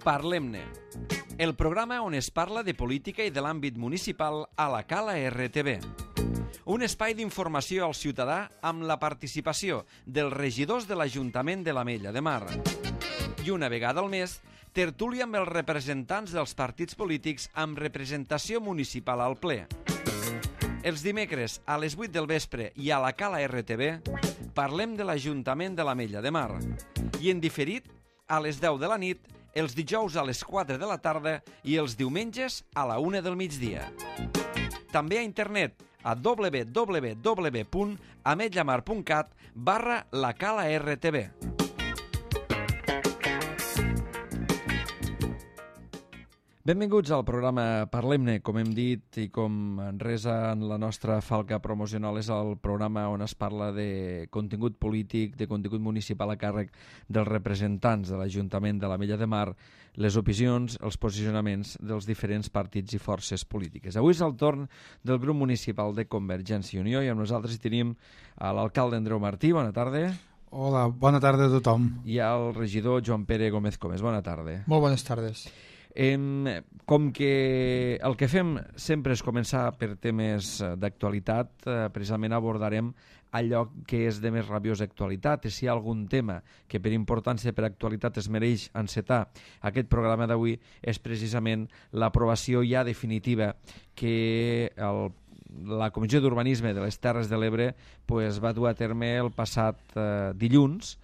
Parlem-ne, el programa on es parla de política i de l'àmbit municipal a la Cala RTV. Un espai d'informació al ciutadà amb la participació dels regidors de l'Ajuntament de l'Ametlla de Mar. I una vegada al mes, tertúlia amb els representants dels partits polítics amb representació municipal al ple. Els dimecres a les 8 del vespre i a la Cala RTV parlem de l'Ajuntament de l'Ametlla de Mar. I en diferit a les 10 de la nit, els dijous a les 4 de la tarda i els diumenges a la 1 del migdia. També a internet a www.ametllamar.cat/lacala-rtv. Benvinguts al programa Parlem-ne. Com hem dit i com resa en la nostra falca promocional, és el programa on es parla de contingut polític, de contingut municipal a càrrec dels representants de l'Ajuntament de l'Ametlla de Mar, les opinions, els posicionaments dels diferents partits i forces polítiques. Avui és el torn del grup municipal de Convergència i Unió i amb nosaltres hi tenim a l'alcalde Andreu Martí. Bona tarda. Hola, bona tarda a tothom. I al regidor Joan Pere Gómez Comes. Bona tarda. Molt bones tardes. Com que el que fem sempre és començar per temes d'actualitat, precisament abordarem allò que és de més rabiosa actualitat, i si hi ha algun tema que per importància, per actualitat, es mereix encetar aquest programa d'avui és precisament l'aprovació ja definitiva que la Comissió d'Urbanisme de les Terres de l'Ebre va dur a terme el passat dilluns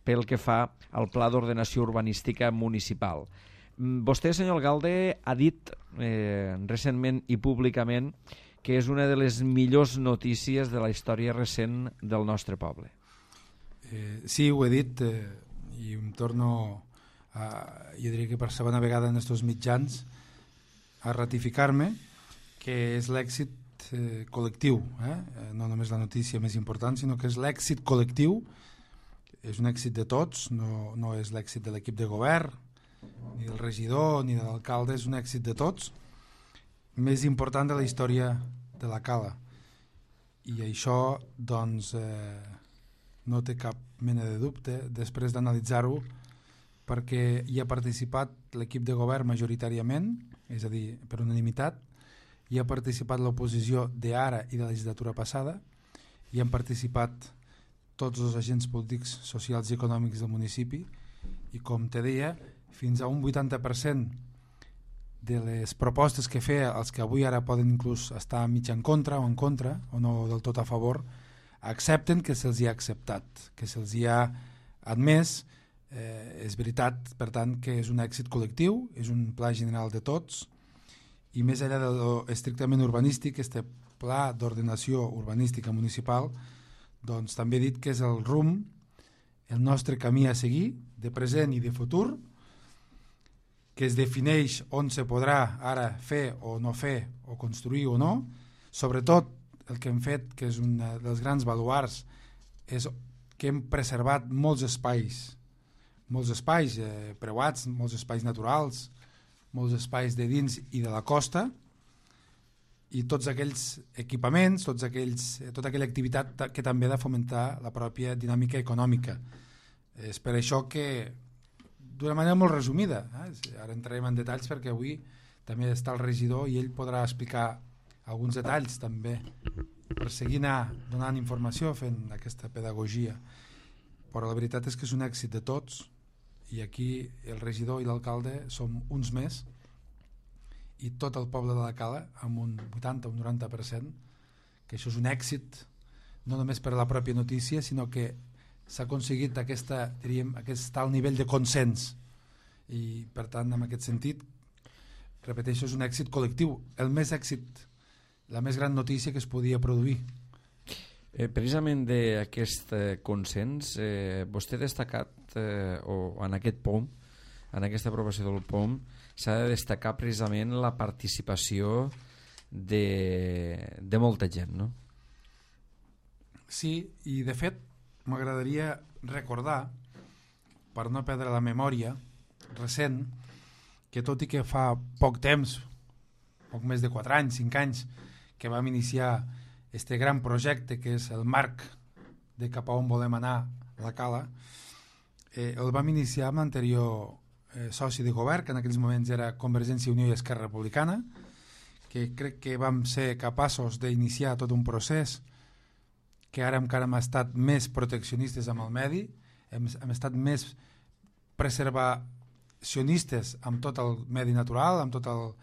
pel que fa al Pla d'Ordenació Urbanística Municipal. Vostè, senyor alcalde, ha dit recentment i públicament que és una de les millors notícies de la història recent del nostre poble. Sí, ho he dit i em torno, jo diria que per segona vegada en aquests mitjans, a ratificar-me que és l'èxit col·lectiu, no només la notícia més important, sinó que és l'èxit col·lectiu, és un èxit de tots, no és l'èxit de l'equip de govern, ni del regidor ni de l'alcalde, és un èxit de tots, més important de la història de la Cala. I això doncs no té cap mena de dubte després d'analitzar-ho, perquè hi ha participat l'equip de govern majoritàriament, és a dir, per unanimitat, hi ha participat l'oposició d'ara i de la legislatura passada, hi han participat tots els agents polítics, socials i econòmics del municipi, i com te deia, fins a un 80% de les propostes que feia, els que avui ara poden inclús estar mig en contra o no del tot a favor, accepten que se'ls hi ha acceptat, que se'ls hi ha admès. És veritat, per tant, que és un èxit col·lectiu, és un pla general de tots, i més enllà de lo estrictament urbanístic, este pla d'ordenació urbanística municipal, doncs també he dit que és el rumb, el nostre camí a seguir, de present i de futur, que es defineix on se podrà ara fer o no fer, o construir o no. Sobretot el que hem fet, que és un dels grans baluards, és que hem preservat molts espais preuats, molts espais naturals, molts espais de dins i de la costa, i tots aquells equipaments, tota aquella activitat que també ha de fomentar la pròpia dinàmica econòmica. És per això que, d'una manera molt resumida, ara entrarem en detalls perquè avui també està el regidor i ell podrà explicar alguns detalls també per seguir anar donant informació, fent aquesta pedagogia. Però la veritat és que és un èxit de tots, i aquí el regidor i l'alcalde som uns més, i tot el poble de la Cala amb un 80 o un 90%, que això és un èxit no només per la pròpia notícia, sinó que s'ha aconseguit aquest alt nivell de consens, i per tant, en aquest sentit, repeteixo, és un èxit col·lectiu, la més gran notícia que es podia produir. Precisament d'aquest consens, vostè ha destacat, o en aquest POM, en aquesta aprovació del POM, s'ha de destacar precisament la participació de molta gent, no? Sí, i de fet m'agradaria recordar, per no perdre la memòria recent, que tot i que fa poc temps, poc més de 4 anys, 5 anys, que vam iniciar este gran projecte que és el marc de cap a on volem anar a la Cala, el vam iniciar amb l'anterior soci de govern, que en aquells moments era Convergència i Unió i Esquerra Republicana, que crec que vam ser capaços d'iniciar tot un procés que ara encara hem estat més proteccionistes amb el medi, hem estat més preservacionistes amb tot el medi natural, amb tot el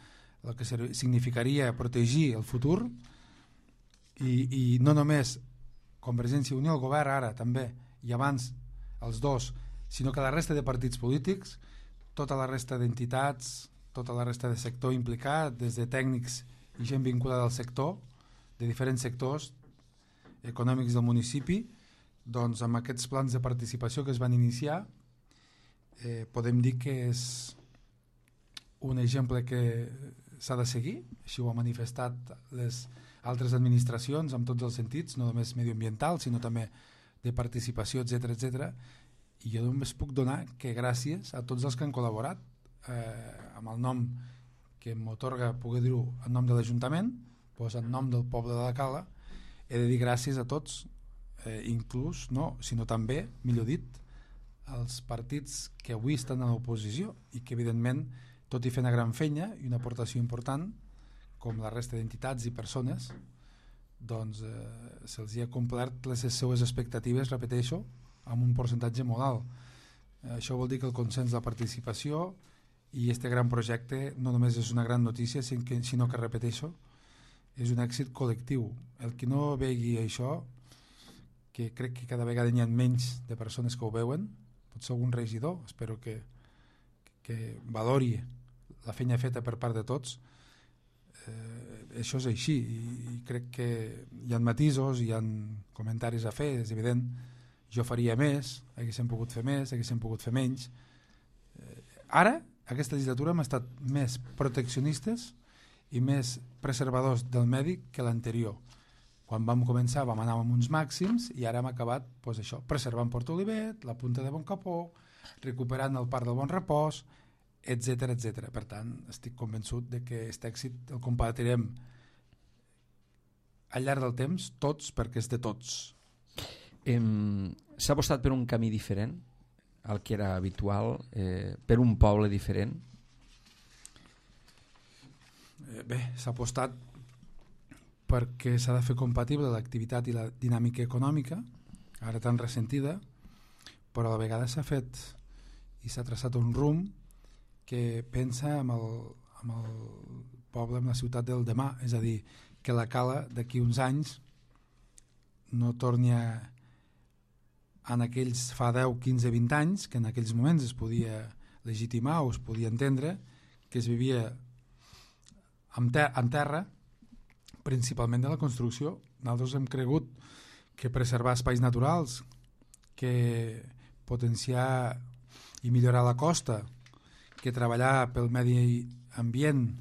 que significaria protegir el futur, i no només Convergència i Unió, el govern ara també, i abans els dos, sinó que la resta de partits polítics, tota la resta d'entitats, tota la resta de sector implicat, des de tècnics i gent vinculada al sector, de diferents sectors econòmics del municipi, doncs amb aquests plans de participació que es van iniciar, podem dir que és un exemple que s'ha de seguir, així ho ha manifestat les altres administracions en tots els sentits, no només medioambiental, sinó també de participació, etc. I jo només puc donar que gràcies a tots els que han col·laborat amb el nom que m'atorga poder dir-ho en nom de l'Ajuntament, doncs en nom del poble de la Cala, he de dir gràcies a tots, inclús, no, sinó també, millor dit, als partits que avui estan a l'oposició i que evidentment, tot i fer una gran feina i una aportació important, com la resta d'entitats i persones, doncs se'ls hi ha complert les seues expectatives, repeteixo, amb un percentatge molt alt. Això vol dir que el consens de la participació i este gran projecte no només és una gran notícia, sinó que, repeteixo, és un èxit col·lectiu. El que no vegi això, que crec que cada vegada n'hi ha menys de persones que ho veuen, potser algun regidor, espero que valori la feina feta per part de tots, això és així, i crec que hi ha matisos, hi ha comentaris a fer, és evident, jo faria més, haguéssim pogut fer més, haguéssim pogut fer menys. Ara, aquesta legislatura hem estat més proteccionistes i més preservadors del medi que l'anterior. Quan vam començar vam anar amb uns màxims i ara hem acabat doncs això, preservant Port Olivet, la Punta de Boncapó, recuperant el Parc del Bon Repòs, etc. Per tant, estic convençut de que aquest èxit el compartirem al llarg del temps tots, perquè és de tots. S'ha apostat per un camí diferent al que era habitual, per un poble diferent? Bé, s'ha apostat perquè s'ha de fer compatible l'activitat i la dinàmica econòmica, ara tan ressentida, però a la vegada s'ha fet i s'ha traçat un rumb que pensa amb el poble, amb la ciutat del demà, és a dir, que la Cala d'aquí uns anys no torni en aquells fa 10, 15, 20 anys, que en aquells moments es podia legitimar o es podia entendre que es vivia en terra, principalment de la construcció. Nosaltres hem cregut que preservar espais naturals, que potenciar i millorar la costa, que treballar pel medi ambient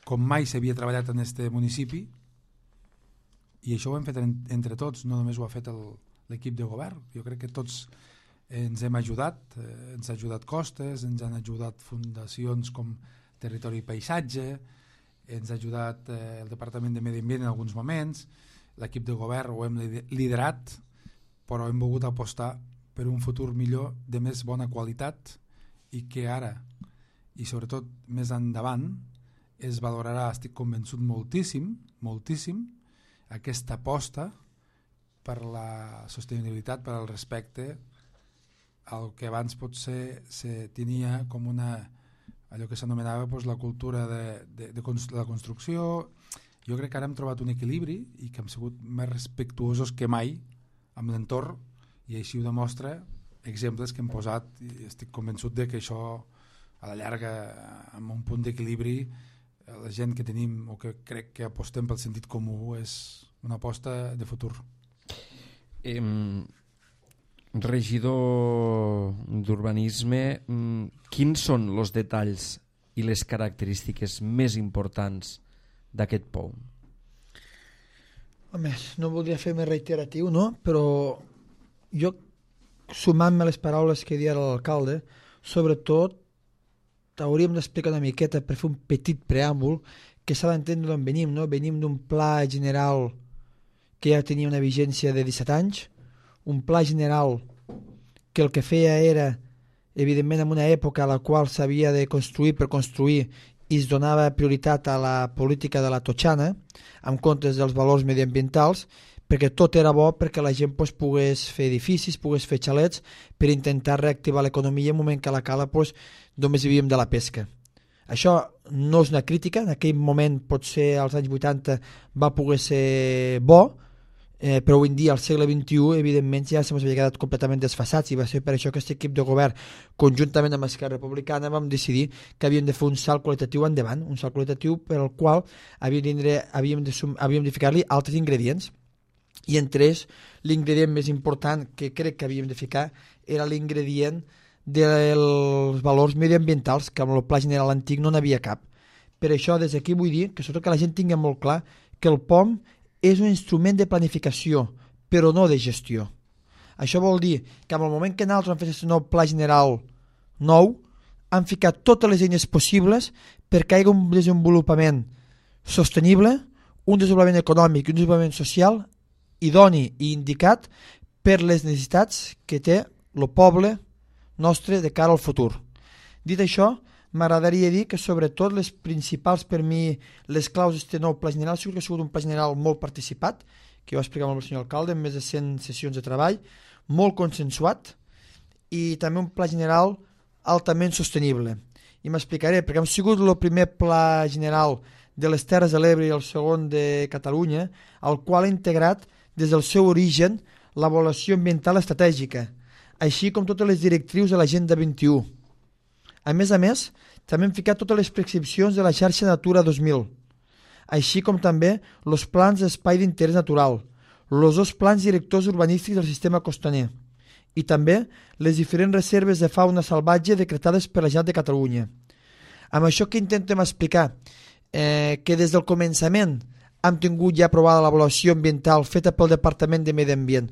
com mai s'havia treballat en este municipi, i això ho hem fet entre tots, no només ho ha fet l'equip de govern. Jo crec que tots ens hem ajudat, ens ha ajudat Costes, ens han ajudat fundacions com Territori i Paisatge, ens ha ajudat el Departament de Medi Ambient en alguns moments, l'equip de govern ho hem liderat, però hem volgut apostar per un futur millor, de més bona qualitat, i que ara, i sobretot més endavant, es valorarà, estic convençut, moltíssim, aquesta aposta per la sostenibilitat, per al respecte al que abans potser se tenia com allò que s'anomenava la cultura de la construcció. Jo crec que ara hem trobat un equilibri i que hem sigut més respectuosos que mai amb l'entorn, i així ho demostra exemples que hem posat, i estic convençut de que això a la llarga, amb un punt d'equilibri, la gent que tenim o que crec que apostem pel sentit comú és una aposta de futur. Regidor d'Urbanisme, quins són els detalls i les característiques més importants d'aquest POUM? Home, no voldria fer més reiteratiu, no? Però jo, sumant-me les paraules que deia l'alcalde, sobretot hauríem d'explicar una miqueta per fer un petit preàmbul que s'ha d'entendre d'on venim, no? Venim d'un pla general que ja tenia una vigència de 17 anys, un pla general que el que feia era evidentment en una època a la qual s'havia de construir per construir i es donava prioritat a la política de la totxana en comptes dels valors mediambientals, perquè tot era bo perquè la gent pogués fer edificis, pogués fer xalets per intentar reactivar l'economia en un moment que a la cala només vivíem de la pesca. Això no és una crítica, en aquell moment potser als anys 80 va poder ser bo, però avui en dia, al segle XXI, evidentment ja se m'havia quedat completament desfasats i va ser per això que aquest equip de govern, conjuntament amb Esquerra Republicana, vam decidir que havíem de fer un salt qualitatiu endavant, un salt qualitatiu per al qual havíem de ficar-li altres ingredients. I entre ells, l'ingredient més important que crec que havíem de ficar era l'ingredient dels valors mediambientals, que amb el Pla General antic no n'havia cap. Per això, des d'aquí vull dir que sobretot que la gent tingui molt clar que el POM és un instrument de planificació, però no de gestió. Això vol dir que en el moment que nosaltres hem fet aquest nou Pla General nou, han ficat totes les eines possibles perquè hi hagi un desenvolupament sostenible, un desenvolupament econòmic i un desenvolupament social idoni i indicat per les necessitats que té el poble nostre de cara al futur. Dit això, m'agradaria dir que sobretot les principals per mi, les claus d'aquest nou Pla General, segur que ha sigut un Pla General molt participat, que jo ho explicat amb el senyor alcalde, amb més de 100 sessions de treball, molt consensuat i també un Pla General altament sostenible. I m'explicaré, perquè hem sigut el primer Pla General de les Terres de l'Ebre i el segon de Catalunya, al qual ha integrat des del seu origen l'avaluació ambiental estratègica, així com totes les directrius de l'Agenda 21. A més, també hem ficat totes les prescripcions de la xarxa Natura 2000, així com també els plans d'espai d'interès natural, els dos plans directors urbanístics del sistema costaner i també les diferents reserves de fauna salvatge decretades per la Generalitat de Catalunya. Amb això que intentem explicar, que des del començament hem tingut ja aprovada l'avaluació ambiental feta pel Departament de Medi Ambient,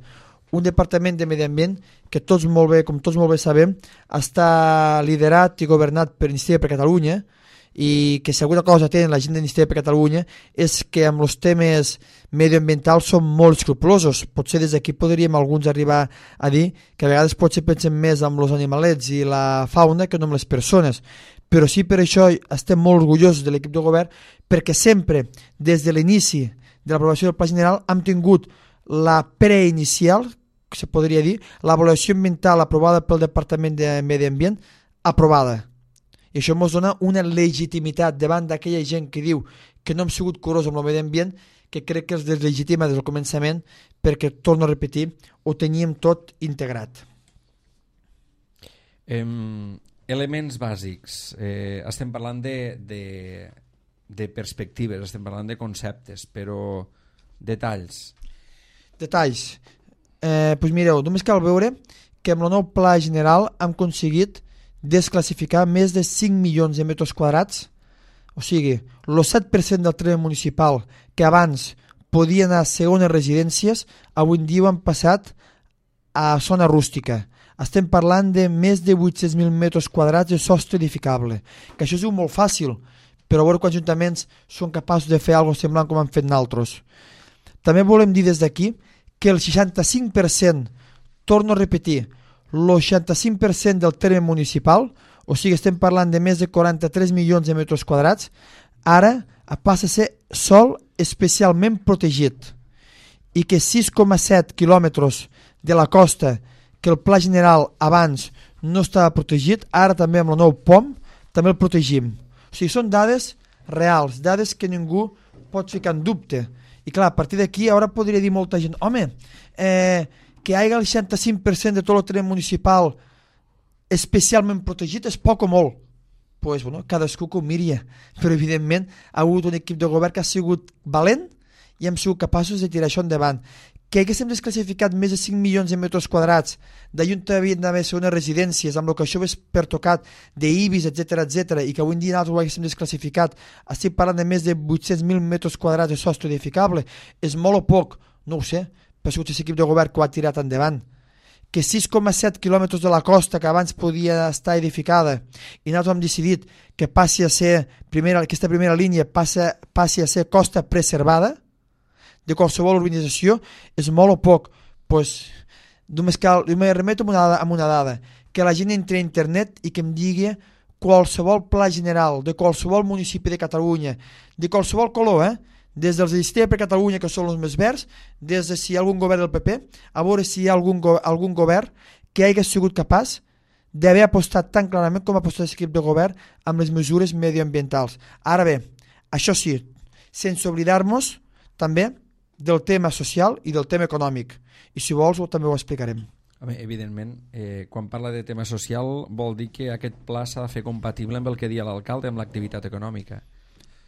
un departament de medi ambient que com tots molt bé sabem, està liderat i governat per Iniciativa per Catalunya i que si alguna cosa tenen la gent d'Iniciativa per Catalunya és que amb els temes medioambientals són molt escrupulosos. Potser des d'aquí podríem alguns arribar a dir que a vegades potser pensem més amb els animalets i la fauna que no amb les persones. Però sí, per això estem molt orgullosos de l'equip de govern perquè sempre, des de l'inici de l'aprovació del Pla General, hem tingut la preinicial, que se podria dir, l'avaluació ambiental aprovada pel Departament de Medi Ambient, aprovada. I això ens dona una legitimitat davant d'aquella gent que diu que no hem sigut curosos amb el medi ambient, que crec que els deslegitima des del començament perquè, torno a repetir, ho teníem tot integrat. Elements bàsics. Estem parlant de perspectives, estem parlant de conceptes, però detalls. Detalls. Doncs mireu, només cal veure que amb el nou Pla General hem aconseguit desclassificar més de 5 milions de metres quadrats, o sigui, el 7% del terreny municipal que abans podia anar a segones residències, avui en dia han passat a zona rústica. Estem parlant de més de 800.000 metres quadrats de sostre edificable, que això és molt fàcil, però a veure quants ajuntaments són capaços de fer alguna cosa semblant com han fet nosaltres. També volem dir des d'aquí que el 65%, torno a repetir, el 65% del terme municipal, o sigui, estem parlant de més de 43 milions de metres quadrats, ara passa a ser sòl especialment protegit i que 6,7 quilòmetres de la costa que el Pla General abans no estava protegit, ara també amb el nou POM també el protegim. O sigui, són dades reals, dades que ningú pot ficar en dubte. I clar, a partir d'aquí ara podria dir molta gent, home, que hi hagi el 65% de tot el terreny municipal especialment protegit és poc o molt. Pues, bueno, cadascú que ho miria, però evidentment ha hagut un equip de govern que ha sigut valent i hem sigut capaços de tirar això endavant. Que haguéssim desclassificat més de 5 milions de metres quadrats d'allà havien d'haver unes residències amb el que això és pertocat d'IBIs, etc, i que avui en dia nosaltres ho haguéssim desclassificat, estic parlant de més de 800.000 metres quadrats de sostre edificable, és molt o poc? No ho sé, però ha sigut aquest equip de govern que ho ha tirat endavant. Que 6,7 quilòmetres de la costa que abans podia estar edificada i nosaltres hem decidit que passi a ser aquesta primera línia passi a ser costa preservada de qualsevol urbanització, és molt o poc? Pues, només remeto amb una dada, que la gent entri a internet i que em digui qualsevol pla general de qualsevol municipi de Catalunya, de qualsevol color, des dels Iniciativa per Catalunya, que són els més verds, des de si hi ha algun govern del PP, a veure si hi ha algun govern que hagi sigut capaç d'haver apostat tan clarament com ha apostat l'equip de govern amb les mesures medioambientals. Ara bé, això sí, sense oblidar-nos també del tema social i del tema econòmic. I si vols també ho explicarem. Evidentment, quan parla de tema social vol dir que aquest pla s'ha de fer compatible amb el que dia l'alcalde, amb l'activitat econòmica.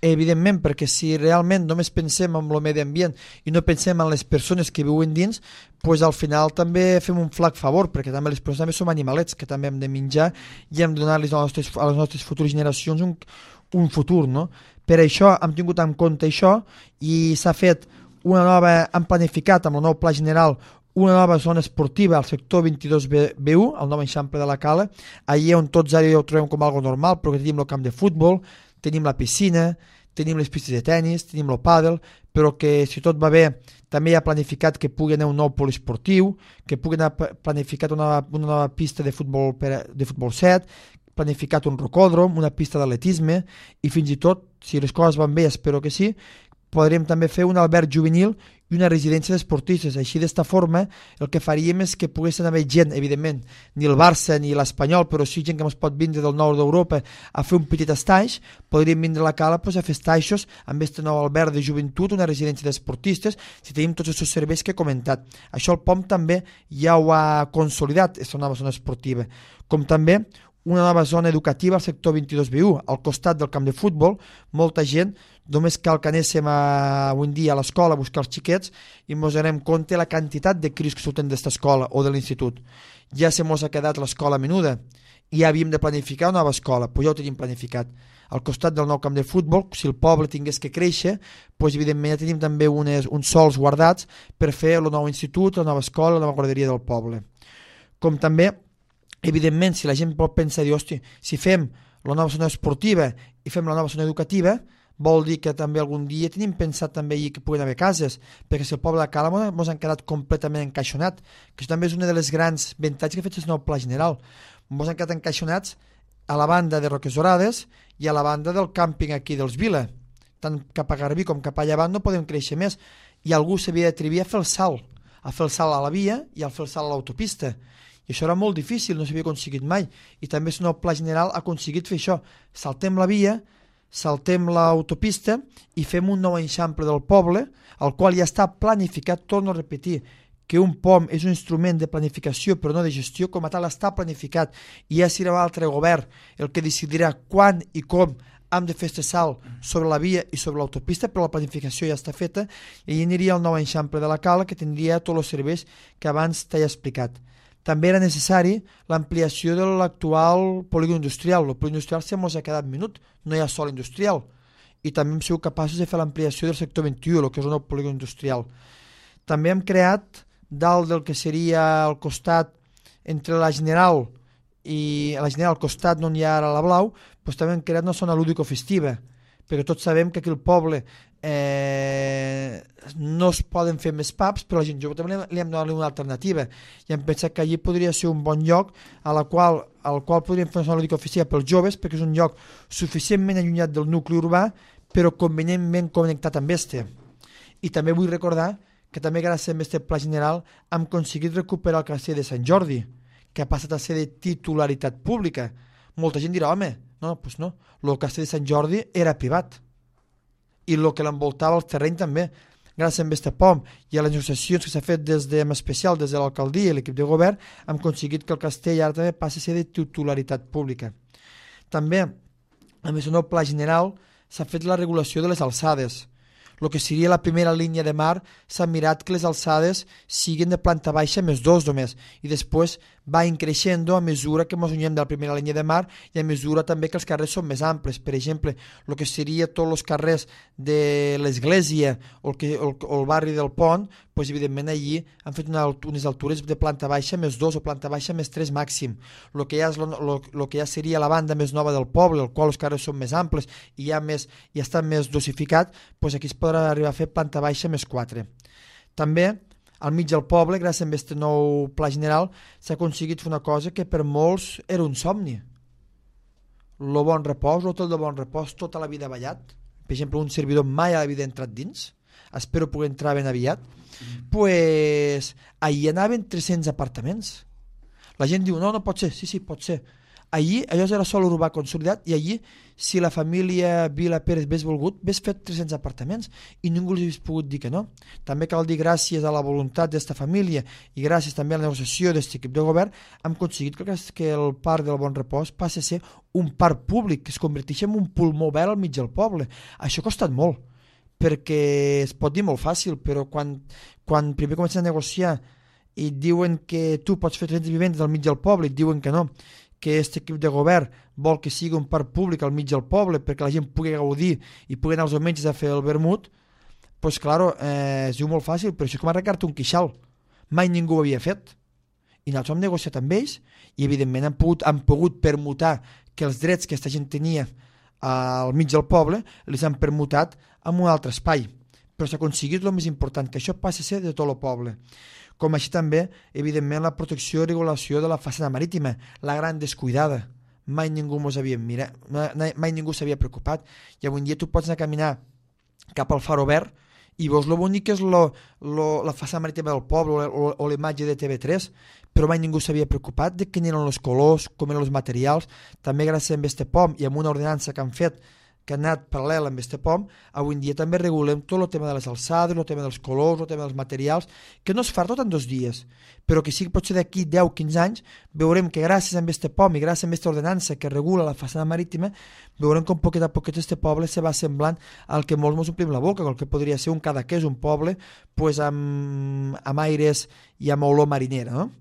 Evidentment, perquè si realment només pensem en el medi ambient i no pensem en les persones que viuen dins, doncs al final també fem un flac favor, perquè també les persones també som animalets que també hem de menjar i hem de donar-los a les nostres futures generacions un futur, no? Per això hem tingut en compte això i s'ha fet hem planificat amb el nou pla general una nova zona esportiva al sector 22B1, al nou eixample de la Cala, allà on tots ara ho trobem com algo normal, però que tenim el camp de futbol, tenim la piscina, tenim les pistes de tennis, tenim el pàdel, però que si tot va bé també hi ha planificat que pugui anar un nou poliesportiu, que pugui anar planificat una nova pista de futbol 7, planificat un rocòdrom, una pista d'atletisme i fins i tot, si les coses van bé, espero que sí, podrem també fer un alberg juvenil i una residència d'esportistes. Així, d'esta forma, el que faríem és que poguessin haver gent, evidentment, ni el Barça ni l'Espanyol, però sí gent que ens pot vindre del nord d'Europa a fer un petit estaix, podríem vindre a la Cala a fer estaixos amb aquest nou alberg de joventut, una residència d'esportistes, si tenim tots aquests serveis que he comentat. Això el POM també ja ho ha consolidat, aquesta nova zona esportiva, com també una nova zona educativa al sector 22B1, al costat del camp de futbol. Molta gent, només cal que anéssim avui en dia a l'escola a buscar els xiquets i ens donem compte la quantitat de cris que surten d'esta escola o de l'institut. Ja se mos ha quedat l'escola menuda i ja havíem de planificar una nova escola, però ja ho tenim planificat. Al costat del nou camp de futbol, si el poble tingués que créixer, doncs evidentment ja tenim també uns sols guardats per fer el nou institut, la nova escola, la nova guarderia del poble. Com també, evidentment, si la gent pot pensar, dir, hosti, si fem la nova zona esportiva i fem la nova zona educativa, vol dir que també algun dia tenim pensat també que puguin haver cases, perquè si el poble de Cala ens han quedat completament encaixonat, que això també és una de les grans avantatges que ha fet el nou pla general. Ens han quedat encaixonats a la banda de Roques Dorades i a la banda del càmping aquí dels Vila. Tant cap a Garbí com cap a llevant no podem créixer més. I algú s'havia d'atrevir a fer el salt a la via i a fer el salt a l'autopista. I això era molt difícil, no s'havia aconseguit mai. I també el nou pla general ha aconseguit fer això. Saltem la via, saltem l'autopista i fem un nou eixample del poble, el qual ja està planificat. Torno a repetir que un POM és un instrument de planificació però no de gestió, com a tal està planificat i ja serà l'altre govern el que decidirà quan i com hem de fer este salt sobre la via i sobre l'autopista, però la planificació ja està feta i hi aniria el nou eixample de la Cala, que tindria tots els serveis que abans t'he explicat. També era necessari l'ampliació de l'actual polígon industrial. El polígon industrial se mos ha quedat minut, no hi ha sol industrial. I també hem sigut capaços de fer l'ampliació del sector 21, el que és un nou polígon industrial. També hem creat, dalt del que seria al costat, entre la General i la General al costat on hi ha ara la Blau, doncs també hem creat una zona lúdico-festiva, perquè tots sabem que aquí al poble no es poden fer més pubs, però a la gent jove també li hem donat una alternativa i hem pensat que allí podria ser un bon lloc al qual podríem fer una zona lúdico-festiva pels joves, perquè és un lloc suficientment allunyat del nucli urbà però convenientment connectat amb este. I també vull recordar que també gràcies a aquest pla general hem aconseguit recuperar el castell de Sant Jordi, que ha passat a ser de titularitat pública. Molta gent dirà, home, doncs no, el castell de Sant Jordi era privat i el que l'envoltava el terreny també. Gràcies a aquest POM i a les negociacions que s'ha fet en especial des de l'alcaldia i l'equip de govern, hem aconseguit que el castell ara també passi a ser de titularitat pública. També, a més del nou pla general, s'ha fet la regulació de les alçades. El que seria la primera línia de mar s'ha mirat que les alçades siguin de planta baixa més 2 només i després va increixent a mesura que ens unem de la primera línia de mar i a mesura també que els carrers són més amples. Per exemple, el que seria tots els carrers de l'església o el barri del Pont, doncs evidentment allí han fet unes altures de planta baixa més 2 o planta baixa més 3 màxim. El que ja seria la banda més nova del poble, el qual els carrers són més amples i ja està més dosificat, doncs aquí es podrà arribar a fer planta baixa més 4. També al mig del poble, gràcies a aquest nou pla general, s'ha aconseguit fer una cosa que per molts era un somni. Lo Bon Repòs, l'hotel de Bon Repòs, tota la vida ballat. Per exemple, un servidor mai a la vida ha entrat dins. Espero poder entrar ben aviat. Pues, ahir anaven 300 apartaments. La gent diu, no pot ser. Sí, pot ser. Allí, allò era sol urbà consolidat, i allí, si la família Vila Pérez hagués volgut, hagués fet 300 apartaments i ningú els hagués pogut dir que no. També cal dir gràcies a la voluntat d'esta família i gràcies també a la negociació d'aquest equip de govern hem aconseguit que el parc del Bon Repòs passi a ser un parc públic, que es converteixi en un pulmó verd al mig del poble. Això ha costat molt, perquè es pot dir molt fàcil, però quan primer comencen a negociar i diuen que tu pots fer 300 vivendes al mig del poble i diuen que no, que aquest equip de govern vol que sigui un parc públic al mig del poble perquè la gent pugui gaudir i pugui anar als diumenges a fer el vermut, doncs claro, es diu molt fàcil, però això és com arreglar-te un queixal. Mai ningú ho havia fet. I nosaltres hem negociat amb ells i evidentment han pogut permutar que els drets que aquesta gent tenia al mig del poble els han permutat en un altre espai. Però s'ha aconseguit el més important, que això passi a ser de tot el poble. Com així també, evidentment, la protecció i regulació de la façana marítima, la gran descuidada. Mai ningú s'havia preocupat. I avui dia tu pots anar a caminar cap al Faro Verd i veus lo bonic que és la façana marítima del poble o la imatge de TV3, però mai ningú s'havia preocupat de quins eren els colors, com eren els materials. També gràcies a este POM i amb una ordenança que han fet que ha anat paral·lel amb este POM, avui en dia també regulem tot el tema de les alçades, el tema dels colors, el tema dels materials, que no es fa tot en 2 dies, però que sí que potser d'aquí 10-15 anys veurem que gràcies a este POM i gràcies a aquesta ordenança que regula la façana marítima, veurem com poquet a poquet este poble se va semblant al que molts ens omplim la boca, el que podria ser un Cadaqués, un poble pues, amb aires i amb olor marinera, no?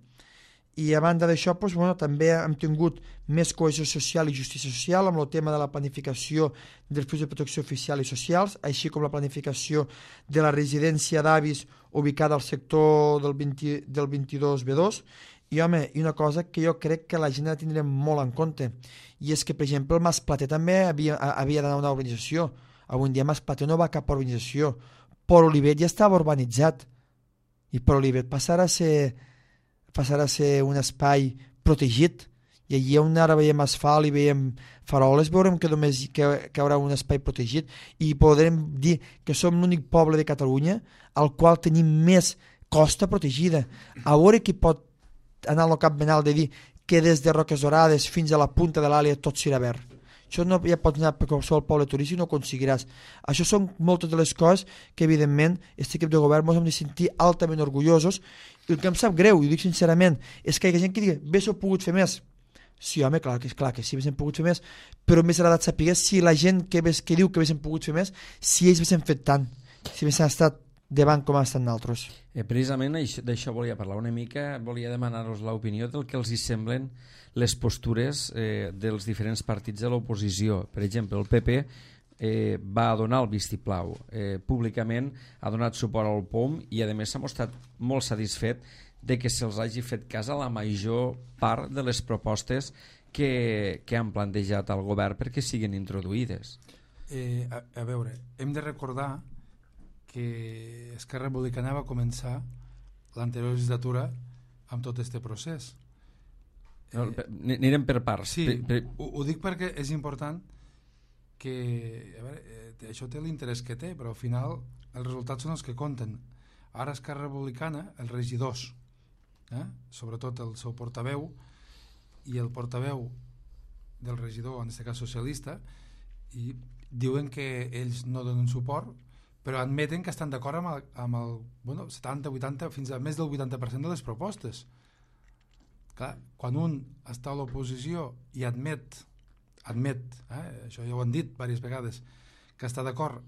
I a banda d'això, doncs, també hem tingut més cohesió social i justícia social amb el tema de la planificació dels punts de protecció oficial i socials, així com la planificació de la residència d'avis ubicada al sector del 22B2. I, home, i una cosa que jo crec que la gent ha de tindre molt en compte, i és que, per exemple, el Mas Plater també havia d'anar a una urbanització. Avui en dia Mas Plater no va a cap urbanització. Port Olivet ja estava urbanitzat, i Port Olivet passarà a ser un espai protegit, i allí on ara veiem asfalt i veiem faroles veurem que només que hi haurà un espai protegit i podrem dir que som l'únic poble de Catalunya al qual tenim més costa protegida. A veure qui pot anar al cap benal de dir que des de Roques Dorades fins a la punta de l'Àlia tot serà verd. Això no ja pots anar per qualsevol poble turístic i no ho aconseguiràs. Això són moltes de les coses que evidentment aquest equip de govern ens hem de sentir altament orgullosos. I el que em sap greu, i ho dic sincerament, és que hi ha gent que digui, bé s'ho pogut fer més. Sí, home, clar que sí, haguéssim pogut fer més, però més agradat saber si la gent que diu que haguéssim pogut fer més, si ells haguéssim fet tant, si haguéssim estat davant com han estat nosaltres. Precisament d'això volia parlar una mica, volia demanar-vos l'opinió del que els hi semblen les postures dels diferents partits de l'oposició. Per exemple, el PP va donar el vistiplau públicament, ha donat suport al POM i a més s'ha mostrat molt satisfet de que se'ls hagi fet cas a la major part de les propostes que han plantejat al govern perquè siguin introduïdes. A veure, hem de recordar que Esquerra Republicana va començar l'anterior legislatura amb tot aquest procés. Anirem per parts. Sí, ho dic perquè és important que a veure, això té l'interès que té, però al final els resultats són els que compten. Ara Esquerra Republicana, els regidors, sobretot el seu portaveu i el portaveu del regidor, en aquest cas socialista, i diuen que ells no donen suport, però admeten que estan d'acord amb el 70, 80, fins a més del 80% de les propostes. Clar, quan un està a l'oposició i admet, això ja ho han dit diverses vegades, que està d'acord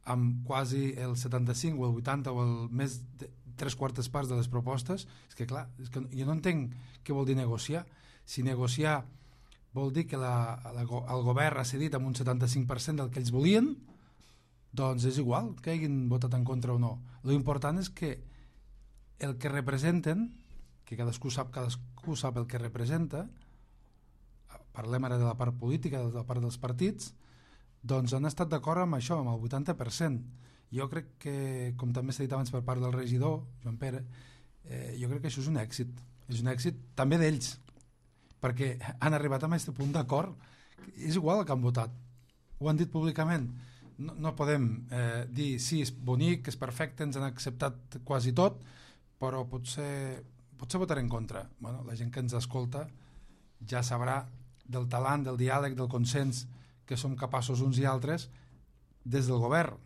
amb quasi el 75 o el 80 o el més de 3/4 parts de les propostes, és que clar, jo no entenc què vol dir negociar. Si negociar vol dir que el govern ha cedit amb un 75% del que ells volien, doncs és igual que hagin votat en contra o no. L'important és que el que representen, que cadascú sap el que representa, parlem ara de la part política, de la part dels partits, doncs han estat d'acord amb això, amb el 80%. Jo crec que, com també s'ha dit abans per part del regidor, Joan Pere, jo crec que això és un èxit. És un èxit també d'ells, perquè han arribat a aquest punt d'acord. És igual el que han votat. Ho han dit públicament. No podem dir sí, és bonic, és perfecte, ens han acceptat quasi tot, però potser votarem en contra. Bueno, la gent que ens escolta ja sabrà del talent, del diàleg, del consens que som capaços uns i altres des del govern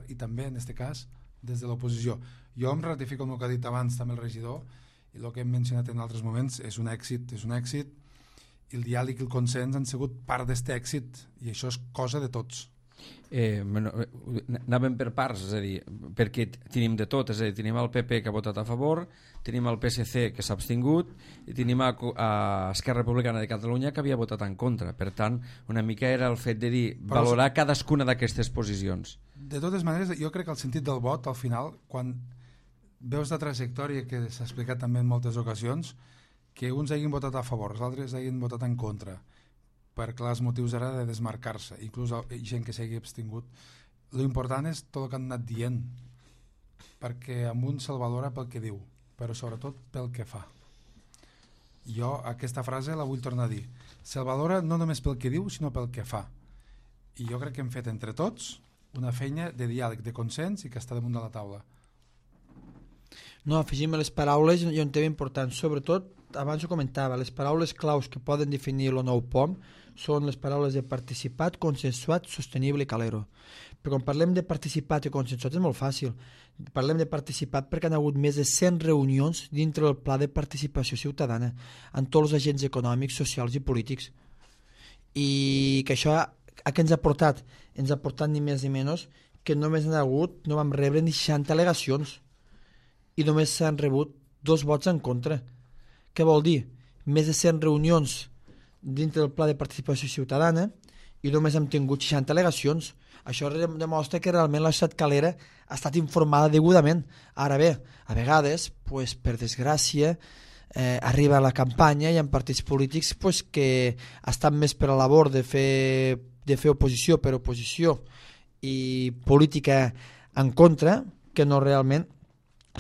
i també, en aquest cas, des de l'oposició. Jo em ratifico el que ha dit abans també el regidor, i el que hem mencionat en altres moments és un èxit, i el diàleg i el consens han sigut part d'aquest èxit, i això és cosa de tots. Anàvem per parts, és a dir, perquè tenim de tot, és a dir, tenim el PP que ha votat a favor, tenim el PSC que s'ha abstingut i tenim a Esquerra Republicana de Catalunya que havia votat en contra. Per tant, una mica era el fet de dir, valorar cadascuna d'aquestes posicions. De totes maneres, jo crec que el sentit del vot, al final, quan veus la trajectòria que s'ha explicat també en moltes ocasions, que uns hagin votat a favor, els altres hagin votat en contra, per clars motius ara de desmarcar-se, inclús gent que s'hagi abstingut. L'important és tot el que han anat dient, perquè amb un se'l valora pel que diu, però sobretot pel que fa. Jo aquesta frase la vull tornar a dir. Se'l valora no només pel que diu, sinó pel que fa. I jo crec que hem fet entre tots una feina de diàleg, de consens i que està damunt de la taula. No, afegim les paraules i un tema important, sobretot, abans ho comentava, les paraules claus que poden definir el nou POM són les paraules de participat, consensuat, sostenible i calero. Però quan parlem de participat i consensuat és molt fàcil. Parlem de participat perquè han hagut més de 100 reunions dintre del pla de participació ciutadana amb tots els agents econòmics, socials i polítics. I que això a què ens ha portat? Ens ha portat ni més ni menys que només no vam rebre ni 60 al·legacions i només s'han rebut 2 vots en contra. Què vol dir? Més de 100 reunions dintre del pla de participació ciutadana i només hem tingut 60 al·legacions. Això demostra que realment la societat calera ha estat informada degudament. Ara bé, a vegades, per desgràcia, arriba la campanya i hi ha partits polítics que estan més per a la labor de fer oposició per oposició i política en contra que no realment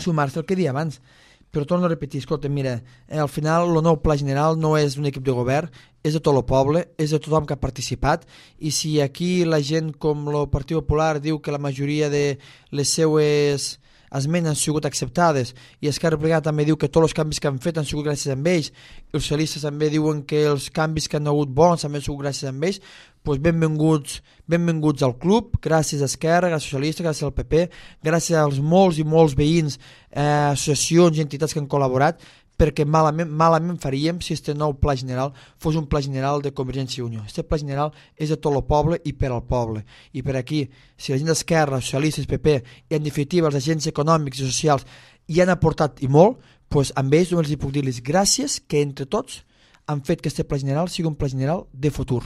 sumar-se al que deia abans. Però torno a repetir, escolta, mira, al final el nou pla general no és d'un equip de govern, és de tot el poble, és de tothom que ha participat, i si aquí la gent com el Partit Popular diu que la majoria de les seues esmenes han sigut acceptades i Esquerra Republicana també diu que tots els canvis que han fet han sigut gràcies a ells, els socialistes també diuen que els canvis que han hagut bons també han sigut gràcies a ells, doncs benvinguts al club, gràcies a Esquerra, gràcies als socialistes, gràcies al PP, gràcies als molts i molts veïns, associacions i entitats que han col·laborat, perquè malament faríem si este nou pla general fos un pla general de Convergència i Unió. Este pla general és de tot el poble i per al poble. I per aquí, si la gent d'Esquerra, socialistes, PP i en definitiva els agents econòmics i socials hi han aportat i molt, doncs amb ells només els puc dir-los gràcies que entre tots han fet que este pla general sigui un pla general de futur.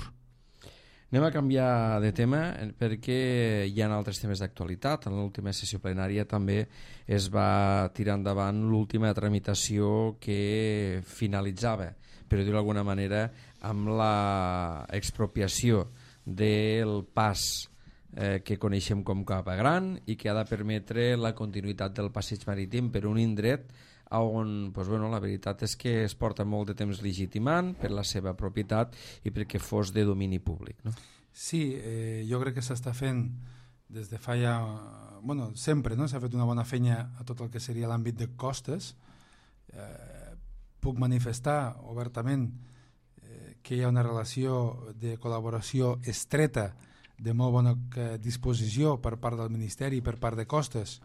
Anem a canviar de tema perquè hi ha altres temes d'actualitat. En l'última sessió plenària també es va tirar endavant l'última tramitació que finalitzava, per dir-ho d'alguna manera, amb la expropiació del pas que coneixem com Capa Gran i que ha de permetre la continuïtat del passeig marítim per un indret on la veritat és que es porta molt de temps legitimant per la seva propietat i perquè fos de domini públic, no? Sí, jo crec que s'està fent des de fa ja... sempre no? S'ha fet una bona feina a tot el que seria l'àmbit de costes. Puc manifestar obertament que hi ha una relació de col·laboració estreta, de molt bona disposició per part del Ministeri i per part de costes,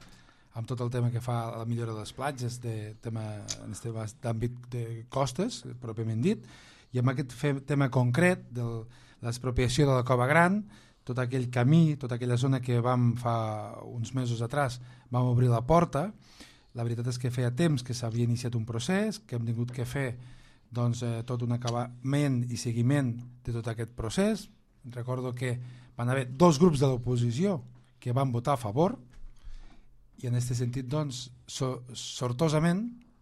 amb tot el tema que fa a la millora de les platges, en aquest àmbit de costes, pròpiament dit, i amb aquest tema concret de l'expropiació de la Cova Gran, tot aquell camí, tota aquella zona que vam fa uns mesos atrás, vam obrir la porta. La veritat és que feia temps que s'havia iniciat un procés, que hem tingut que fer tot un acabament i seguiment de tot aquest procés. Recordo que van haver 2 grups de l'oposició que van votar a favor, i en aquest sentit, sortosament,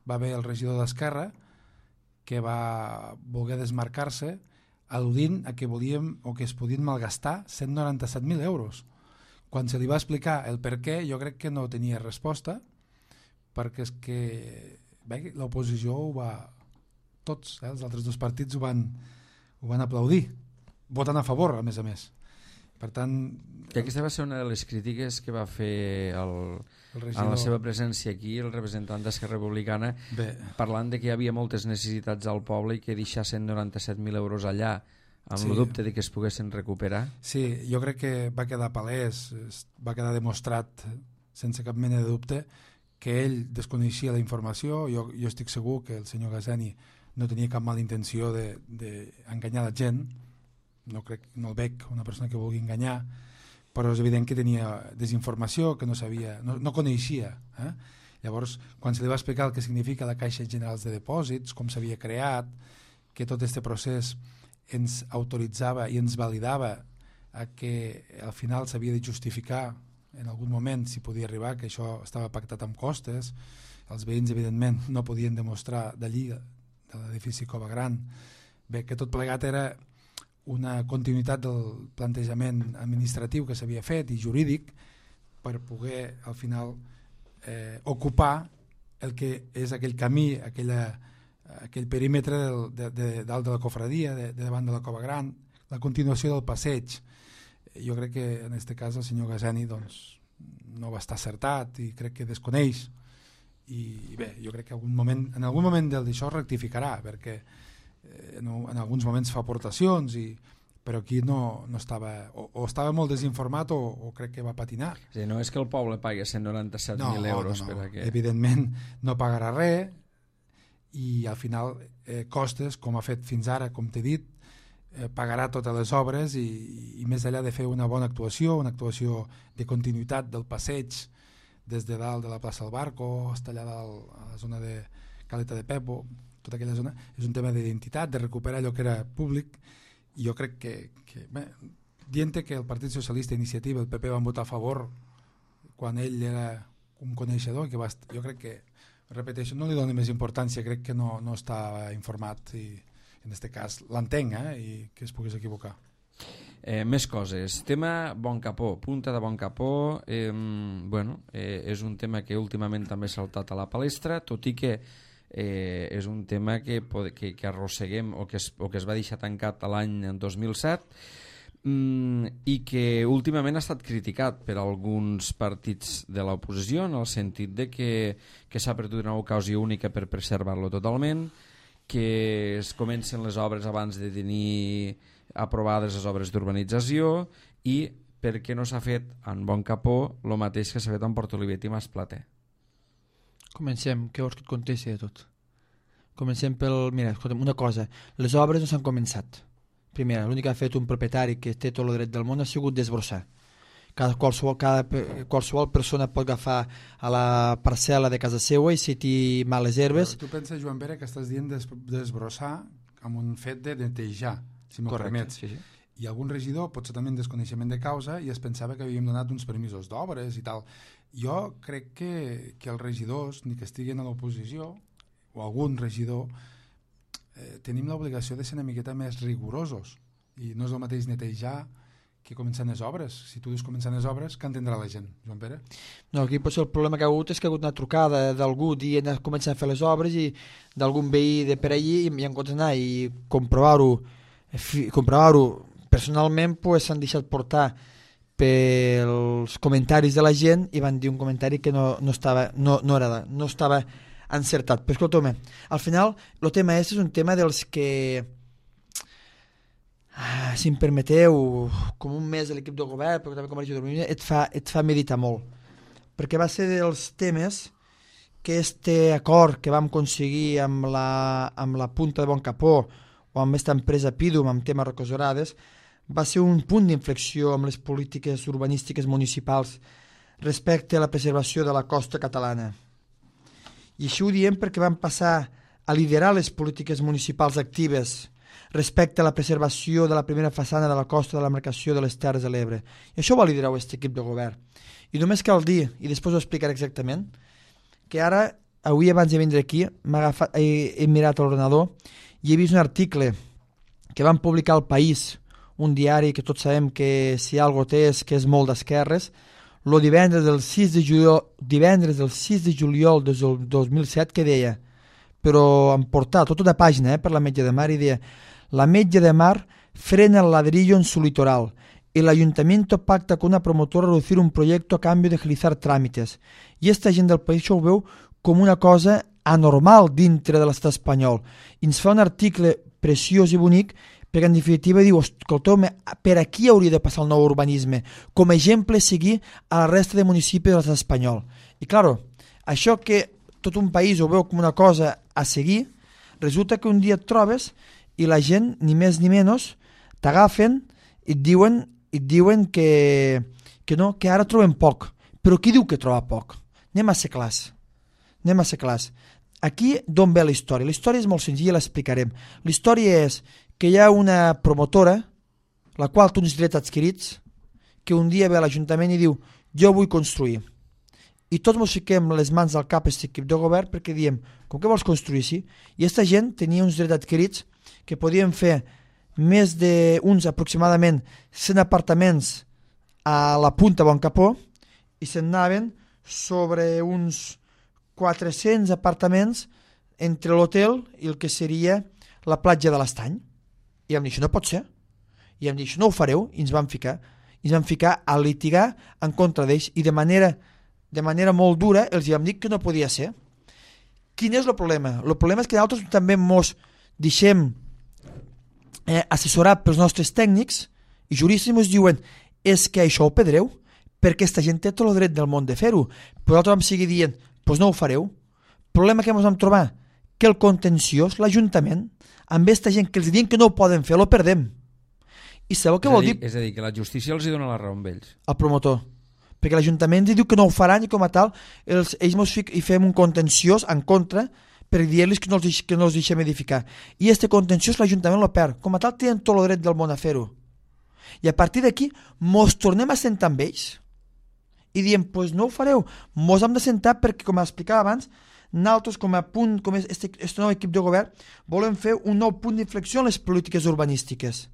va haver el regidor d'Esquerra que va voler desmarcar-se al·ludint a que volíem o que es podien malgastar 197.000 euros, quan se li va explicar el per què, jo crec que no tenia resposta, perquè és que l'oposició ho va... Tots, els altres dos partits ho van aplaudir, votant a favor, a més. Per tant... Que aquesta va ser una de les crítiques que va fer en la seva presència aquí el representant d'Esquerra Republicana, parlant de que hi havia moltes necessitats al poble i que deixassen 97.000 euros allà amb el dubte de que es poguessin recuperar. Sí, jo crec que va quedar palès, va quedar demostrat sense cap mena de dubte que ell desconeixia la informació. Jo estic segur que el senyor Gassani no tenia cap mala intenció d'enganyar la gent, no el veig una persona que vulgui enganyar, però és evident que tenia desinformació, que no sabia, no coneixia. Llavors, quan se li va explicar el que significa la Caixa General de Depòsits, com s'havia creat, que tot aquest procés ens autoritzava i ens validava a que al final s'havia de justificar en algun moment si podia arribar, que això estava pactat amb costes, els veïns evidentment no podien demostrar d'allí, de l'edifici Cova Gran, que tot plegat era una continuïtat del plantejament administratiu que s'havia fet i jurídic per poder al final ocupar el que és aquell camí, aquell perímetre dalt de la cofradia, de davant de la Cova Gran, la continuació del passeig. Jo crec que en aquest cas el senyor Gassani no va estar acertat i crec que desconeix, i bé, jo crec que en algun moment d'això rectificarà, perquè en alguns moments fa aportacions, però aquí no estava, o estava molt desinformat o crec que va patinar. Sí, no és que el poble pagui 197.000 euros. No. Per a que... Evidentment no pagarà res, i al final costes, com ha fet fins ara, com t'he dit, pagarà totes les obres, i més enllà de fer una bona actuació, una actuació de continuïtat del passeig des de dalt de la plaça del Barco fins allà dalt a la zona de Caleta de Pepo, tota aquella zona, és un tema d'identitat, de recuperar allò que era públic, i jo crec que dient que el Partit Socialista, Iniciativa, el PP van votar a favor quan ell era un coneixedor, jo crec que, repeteixo, no li doni més importància, crec que no està informat, i en aquest cas l'entenc, i que es pogués equivocar. Més coses. Tema Bon Capó, punta de Bon Capó, és un tema que últimament també s'ha saltat a la palestra, tot i que és un tema que arrosseguem o que es va deixar tancat l'any 2007 i que últimament ha estat criticat per alguns partits de l'oposició, en el sentit de que s'ha perdut una ocasió única per preservar-lo totalment, que es comencen les obres abans de tenir aprovades les obres d'urbanització, i per què no s'ha fet en Bon Capó el mateix que s'ha fet en Portolivet i Masplater. Comencem, què vols que et contesti de tot? Comencem Mira, escolta'm, una cosa, les obres no s'han començat. Primera, l'únic que ha fet un propietari que té tot el dret del món ha sigut desbrossar. Qualsevol persona pot agafar a la parcel·la de casa seva i si té males herbes... Però tu penses, Joan Pere, que estàs dient desbrossar amb un fet de netejar, si m'ho permets. Sí. I algun regidor, potser també en desconeixement de causa, i es pensava que havíem donat uns permisos d'obres i tal. Jo crec que els regidors, ni que estiguin a l'oposició, o algun regidor, tenim l'obligació de ser una miqueta més rigorosos, i no és el mateix netejar que començar les obres. Si tu dius començar les obres, què entendrà la gent, Joan Pere? No, aquí potser el problema que ha hagut és que ha hagut una trucada d'algú dient que començar a fer les obres, i d'algun veí de per allí, i en comptes d'anar i comprovar-ho personalment, s'han deixat portar pels comentaris de la gent i van dir un comentari que no estava encertat. Però escolta, al final el tema és un tema dels que, si em permeteu, com un mes de l'equip de govern, però també com a regidor, et fa meditar molt, perquè va ser dels temes que este acord que vam aconseguir amb la punta de Bon Capó o amb aquesta empresa Pidum amb temes Rocosorades va ser un punt d'inflexió amb les polítiques urbanístiques municipals respecte a la preservació de la costa catalana. I això ho diem perquè vam passar a liderar les polítiques municipals actives respecte a la preservació de la primera façana de la costa de la demarcació de les Terres de l'Ebre. I això ho va liderar aquest equip de govern. I només cal dir, i després ho explicaré exactament, que ara, avui abans de vindre aquí, he mirat l'ordenador i he vist un article que van publicar al País, un diari que tots sabem que si algo té és que és molt d'esquerres. El divendres del 6 de juliol del 2007 que deia, però em portava tota una pàgina per la Metge de Mar, i deia: la Metge de Mar frena el ladrillo en su litoral. El ayuntamiento pacta con una promotora reducir un proyecto a cambio de agilizar trámites. I esta gent del país ho veu com una cosa anormal dintre de l'estat espanyol. I ens fa un article preciós i bonic perquè en definitiva diu: escolteu-me, per aquí hauria de passar el nou urbanisme, com a exemple seguir a la resta de municipis de l'estat espanyol. I claro, això que tot un país ho veu com una cosa a seguir, resulta que un dia et trobes i la gent, ni més ni menys, t'agafen i et diuen que no, que ara trobem poc. Però qui diu que troba poc? Anem a ser clars. Aquí d'on ve la història? La història és molt senzilla, l'explicarem. La història és que hi ha una promotora, la qual té uns drets adquirits, que un dia ve a l'Ajuntament i diu: jo vull construir. I tots ens fiquem les mans al cap a aquest equip de govern perquè diem: com que vols construir així? I aquesta gent tenia uns drets adquirits que podien fer més d'uns aproximadament 100 apartaments a la Punta Boncapó i se'n anaven sobre uns 400 apartaments entre l'hotel i el que seria la platja de l'Estany. I vam dir: això no pot ser. I vam dir: això no ho fareu. I ens vam ficar a litigar en contra d'ells i de manera molt dura els vam dir que no podia ser. Quin és el problema? El problema és que nosaltres també ens deixem assessorar pels nostres tècnics i juristes ens diuen: és que això ho pedreu perquè aquesta gent té tot el dret del món de fer-ho. Però nosaltres vam seguir dient: doncs no ho fareu. El problema que ens vam trobar, que el contenciós, l'Ajuntament, amb aquesta gent que els diuen que no ho poden fer, lo perdem. I sabeu què vol dir? És a dir, que la justícia els hi dona la raó amb ells. Al promotor. Perquè l'Ajuntament diu que no ho faran i com a tal ells hi fem un contenciós en contra per dir-los que no els deixem edificar. I este contenciós l'Ajuntament lo perd. Com a tal tenen tot el dret del món a fer-ho. I a partir d'aquí mos tornem a sentar amb ells i diem: pues no ho fareu. Mos hem de sentar perquè, com explicava abans, nosaltres com a punt, com este nou equip de govern, volem fer un nou punt d'inflexió en les polítiques urbanístiques.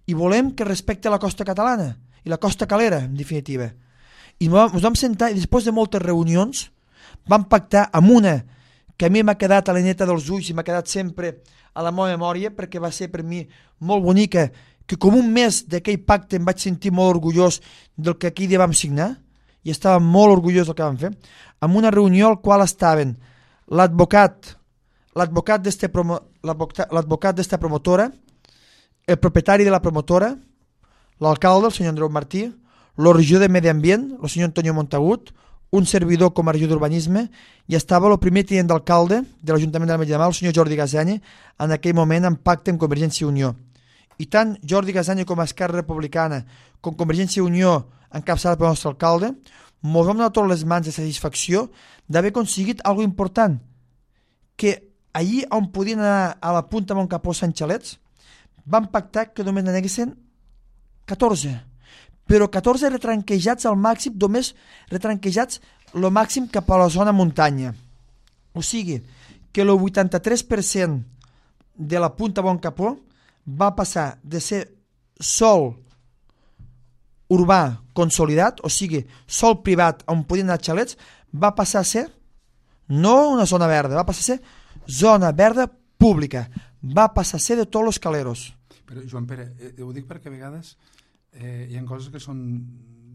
I volem que respecte la costa catalana i la costa calera, en definitiva. I ens vam sentar i després de moltes reunions vam pactar amb una que a mi m'ha quedat a la neta dels ulls i m'ha quedat sempre a la meva memòria perquè va ser per mi molt bonica, que com un mes d'aquell pacte em vaig sentir molt orgullós del que aquell dia vam signar i estava molt orgullós del que vam fer, amb una reunió al qual estaven l'advocat d'esta promotora, el propietari de la promotora, l'alcalde, el senyor Andreu Martí, el regidor de Medi Ambient, el senyor Antonio Montagut, un servidor com a regidor d'Urbanisme, i estava el primer tinent d'alcalde de l'Ajuntament de la Metge de Mar, el senyor Jordi Gasany, en aquell moment en pacte amb Convergència i Unió. I tant Jordi Gasany com a Esquerra Republicana com Convergència i Unió, encapçada pel nostre alcalde, ens vam donar totes les mans de satisfacció d'haver aconseguit alguna important, que allí on podien anar a la Punta Montcapó Sant Xalets, van pactar que només n'aneguessin 14, però 14 retranquejats al màxim, només retranquejats el màxim cap a la zona muntanya. O sigui, que el 83% de la Punta Boncapó va passar de ser sòl urbà consolidat, o sigui, sòl privat on podien anar xalets, va passar a ser no una zona verda, va passar a ser zona verda pública, va passar a ser de tots els caleros. Però, Joan Pere, ho dic perquè a vegades hi ha coses que són...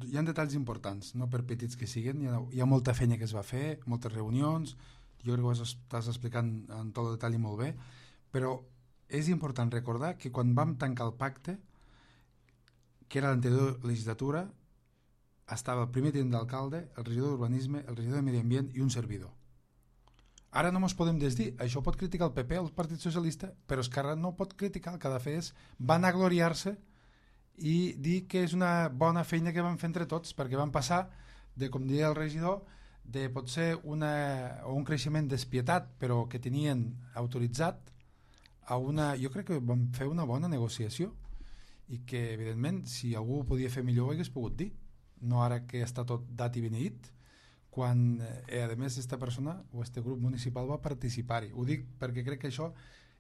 Hi ha detalls importants, no per petits que siguin, hi ha molta feina que es va fer, moltes reunions, jo crec que ho estàs explicant en tot el detall i molt bé, però és important recordar que quan vam tancar el pacte, que era l'anterior legislatura, estava el primer tinent d'alcalde, el regidor d'Urbanisme, el regidor de Medi Ambient i un servidor. Ara no ens podem desdir, això pot criticar el PP, el Partit Socialista, però Esquerra no pot criticar, el que ha de fer és vanagloriar-se i dir que és una bona feina que vam fer entre tots, perquè vam passar de, com deia el regidor, de potser un creixement despietat, però que tenien autoritzat, a una... Jo crec que vam fer una bona negociació i que, evidentment, si algú ho podia fer millor ho hagués pogut dir, no ara que està tot dat i beneït, quan, a més, aquesta persona o este grup municipal va participar-hi. Ho dic perquè crec que això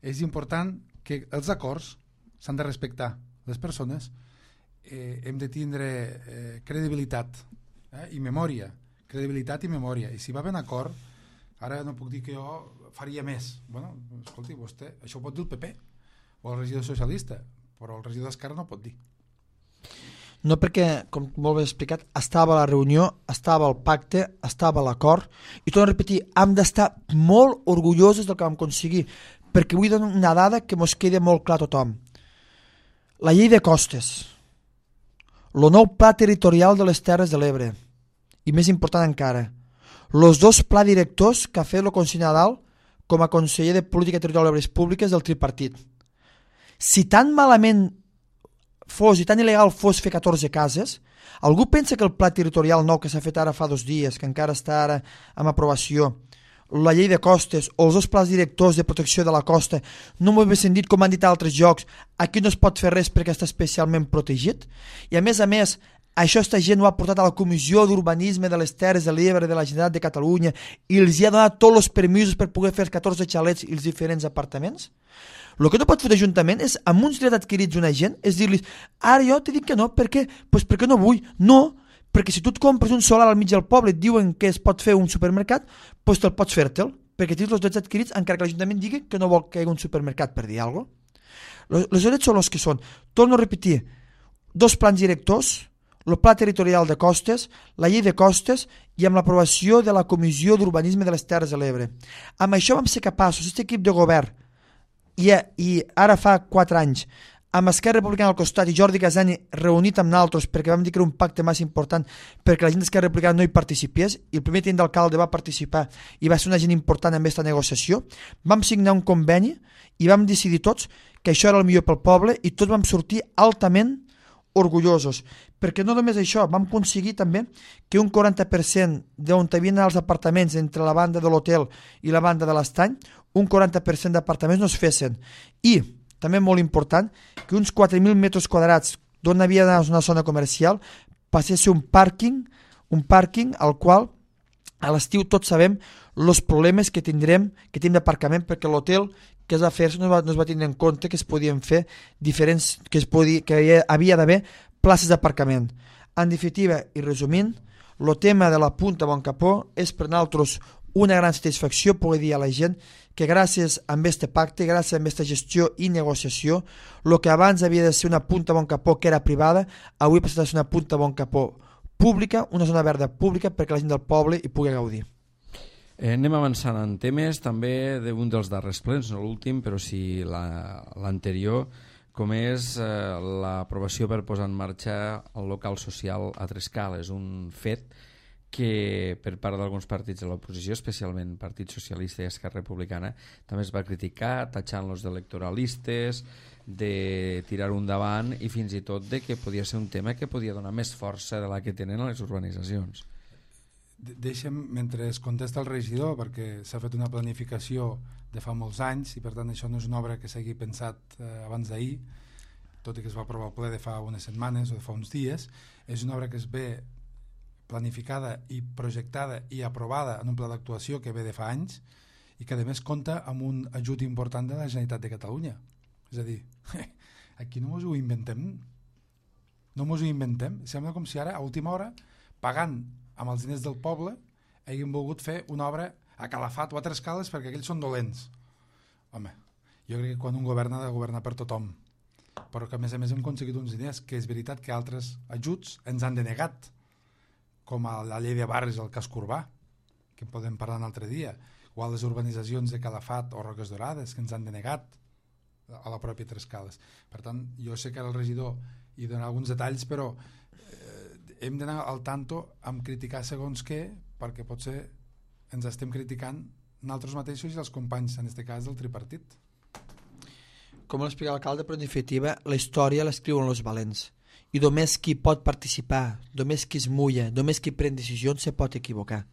és important, que els acords s'han de respectar les persones, hem de tindre credibilitat i memòria, i si va ben acord, ara no puc dir que jo faria més. Bueno, escolti, vostè, això ho pot dir el PP o el regidor socialista, però el regidor d'Esquerra no pot dir. No, perquè, com molt bé explicat, estava a la reunió, estava al pacte, estava a l'acord, i torno a repetir, hem d'estar molt orgullosos del que vam aconseguir, perquè vull donar una dada que mos quedi molt clar a tothom. La llei de costes, el nou pla territorial de les Terres de l'Ebre, i més important encara, els 2 pla directors que ha fet el conseller Nadal com a conseller de Política Territorial i Obres Públiques del tripartit. Si tan malament fos i tan il·legal fos fer 14 cases, algú pensa que el pla territorial nou que s'ha fet ara fa 2 dies, que encara està ara en aprovació, la llei de costes o els 2 plans directors de protecció de la costa, no m'ho he sentit com han dit a altres llocs, aquí no es pot fer res perquè està especialment protegit? I a més, això esta gent ho ha portat a la Comissió d'Urbanisme de les Terres de l'Ebre de la Generalitat de Catalunya i els ha donat tots els permisos per poder fer els 14 xalets i els diferents apartaments? El que no pot fer l'Ajuntament és, amb uns drets adquirits una gent, és dir-li, ara jo t'he dit que no, per què? Pues perquè no vull. No, perquè si tu et compres un solar al mig del poble i et diuen que es pot fer un supermercat, pues te'l pots fer-te'l, perquè tens els drets adquirits encara que l'Ajuntament digui que no vol que hi hagi un supermercat, per dir alguna cosa. Els drets són els que són. Torno a repetir, 2 plans directors, el pla territorial de costes, la llei de costes i amb l'aprovació de la Comissió d'Urbanisme de les Terres de l'Ebre. Amb això vam ser capaços, aquest equip de govern, i ara fa 4 anys, amb Esquerra Republicana al costat i Jordi Casani reunit amb nosaltres perquè vam dir que era un pacte massa important perquè la gent d'Esquerra Republicana no hi participés i el primer tinent d'alcalde va participar i va ser una gent important en aquesta negociació, vam signar un conveni i vam decidir tots que això era el millor pel poble i tots vam sortir altament orgullosos, perquè no només això, vam aconseguir també que un 40% d'on havien els apartaments entre la banda de l'hotel i la banda de l'estany, un 40% d'apartaments no es fessin. I, també molt important, que uns 4.000 metres quadrats d'on havia d'anar una zona comercial passés a ser un pàrquing al qual a l'estiu tots sabem els problemes que tenim d'aparcament, perquè l'hotel que es va fer no es va tenir en compte que es podien fer diferents, que havia d'haver places d'aparcament. En definitiva, i resumint, el tema de la Punta Boncapó és per nosaltres una gran satisfacció poder dir a la gent que gràcies a aquest pacte, gràcies a aquesta gestió i negociació, el que abans havia de ser una Punta Boncapó que era privada, avui passa a ser una Punta Boncapó pública, una zona verda pública perquè la gent del poble hi pugui gaudir. Anem avançant en temes, també d'un dels darrers plens, no l'últim, però sí l'anterior, com és l'aprovació per posar en marxa el local social a Trescales, un fet que per part d'alguns partits de l'oposició, especialment Partit Socialista i Esquerra Republicana, també es va criticar, tatxant-los d'electoralistes, de tirar-ho endavant i fins i tot de que podia ser un tema que podia donar més força de la que tenen a les urbanitzacions. Deixa'm, mentre es contesta el regidor, perquè s'ha fet una planificació de fa molts anys i per tant això no és una obra que s'hagi pensat abans d'ahir, tot i que es va aprovar al ple de fa unes setmanes o de fa uns dies, és una obra que es ve planificada i projectada i aprovada en un pla d'actuació que ve de fa anys i que a més compta amb un ajut important de la Generalitat de Catalunya. És a dir, aquí no ens ho inventem. Sembla com si ara, a última hora, pagant amb els diners del poble, hagin volgut fer una obra a Calafat o a Trescales perquè aquells són dolents. Home, jo crec que quan un govern ha de governar per tothom, però que a més hem aconseguit uns diners que és veritat que altres ajuts ens han denegat, com a la llei de barris al casc urbà, que en podem parlar un altre dia, o a les urbanitzacions de Calafat o Roques Dorades, que ens han denegat a la pròpia Trescales. Per tant, jo sé que ara el regidor hi dona alguns detalls, però hem d'anar al tanto amb criticar segons què, perquè potser ens estem criticant nosaltres mateixos i els companys, en aquest cas del tripartit. Com l'explica l'alcalde, però en definitiva la història l'escriuen els valents i només qui pot participar, només qui es mulla, només qui pren decisions se pot equivocar.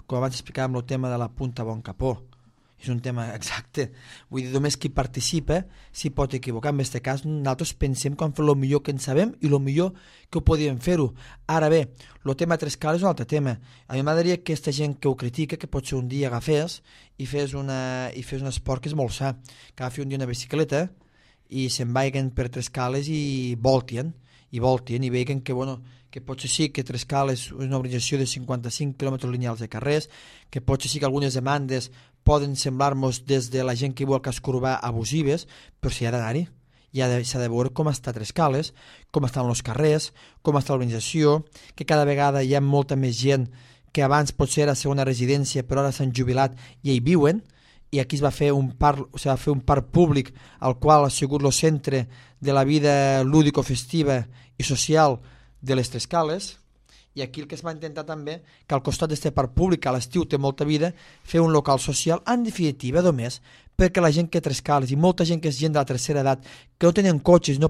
Com abans explicàvem el tema de la Punta Boncapó, és un tema exacte, vull dir, només qui participa s'hi pot equivocar. En aquest cas nosaltres pensem que hem fet el millor que en sabem i el millor que ho podíem fer-ho. Ara bé, el tema Trescales és un altre tema. A mi m'agradaria que aquesta gent que ho critica, que potser un dia agafés i fes un esport que és molt sa, que agafi un dia una bicicleta i se'n vagin per Trescales i voltien i veien que, que potser sí que Trescales és una organització de 55 quilòmetres lineals de carrers, que potser sí que algunes demandes poden semblar-nos des de la gent que viu al casc urbà abusives, però s'hi ha d'anar-hi. S'ha de veure com està Trescales, com estan els carrers, com està l'organització, que cada vegada hi ha molta més gent que abans potser era segona residència, però ara s'han jubilat i hi viuen, i aquí es va fer un parc públic al qual ha sigut el centre de la vida lúdico-festiva i social de les Trescales, i aquí el que es va intentar també, que al costat d'aquest parc públic, a l'estiu té molta vida, fer un local social, en definitiva, només, perquè la gent que Trescales i molta gent que és gent de la tercera edat, que no tenen cotxes i no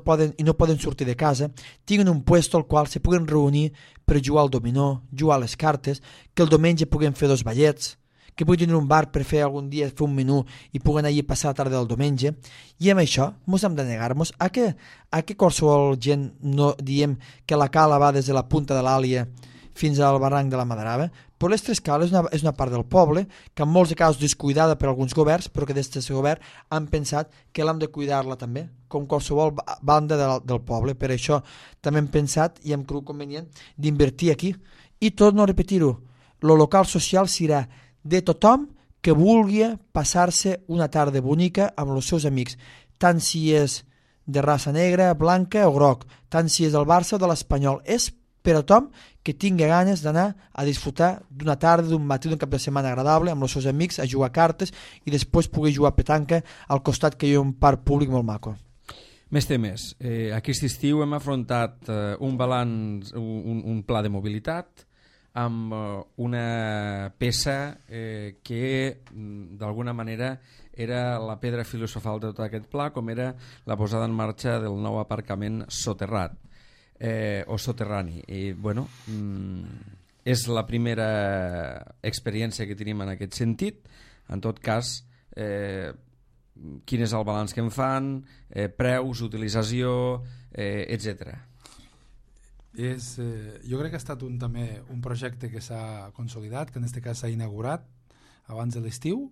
poden sortir de casa, tinguin un puesto al qual se puguen reunir per jugar al dominó, jugar a les cartes, que el diumenge puguen fer 2 ballets, que puguin tenir un bar per fer algun dia fer un menú i puguen allí passar la tarda del diumenge, i amb això ens hem de negar-nos a que qualsevol gent no diem que la cala va des de la punta de l'Àlia fins al barranc de la Madarava, però les Trescales és una part del poble que en molts casos descuidada per alguns governs, però que des d'aquest govern han pensat que l'hem de cuidar-la també, com qualsevol banda del poble. Per això també hem pensat i hem cregut convenient d'invertir aquí. I torno a repetir-ho, el local social serà de tothom que vulgui passar-se una tarda bonica amb els seus amics, tant si és de raça negra, blanca o groc, tant si és del Barça o de l'Espanyol. És per a tothom que tingui ganes d'anar a disfrutar d'una tarda, d'un matí, d'un cap de setmana agradable amb els seus amics, a jugar cartes i després pugui jugar a petanca al costat que hi ha un parc públic molt maco. Més temes. Aquest estiu hem afrontat un balanç, un pla de mobilitat amb una peça que d'alguna manera era la pedra filosofal de tot aquest pla, com era la posada en marxa del nou aparcament soterrat o soterrani. I, bueno, és la primera experiència que tenim en aquest sentit. En tot cas, quin és el balanç que en fan, preus, utilització, etc. Jo crec que ha estat també un projecte que s'ha consolidat, que en aquest cas s'ha inaugurat abans de l'estiu,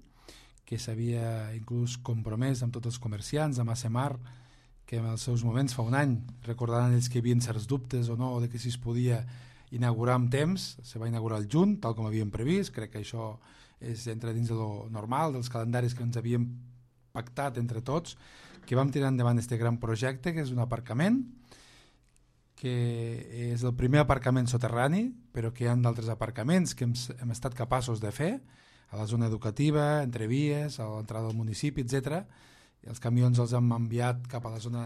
que s'havia inclús compromès amb tots els comerciants, amb ASEMAR, que en els seus moments fa un any recordaran ells que hi havia certs dubtes o no, de que si es podia inaugurar amb temps. Se va inaugurar al juny, tal com havíem previst. Crec que això entra dins de lo normal, dels calendaris que ens havíem pactat entre tots, que vam tirar endavant aquest gran projecte, que és un aparcament, que és el primer aparcament soterrani, però que hi ha d'altres aparcaments que hem estat capaços de fer a la zona educativa, entre vies, a l'entrada del municipi, etc. I els camions els hem enviat cap a la zona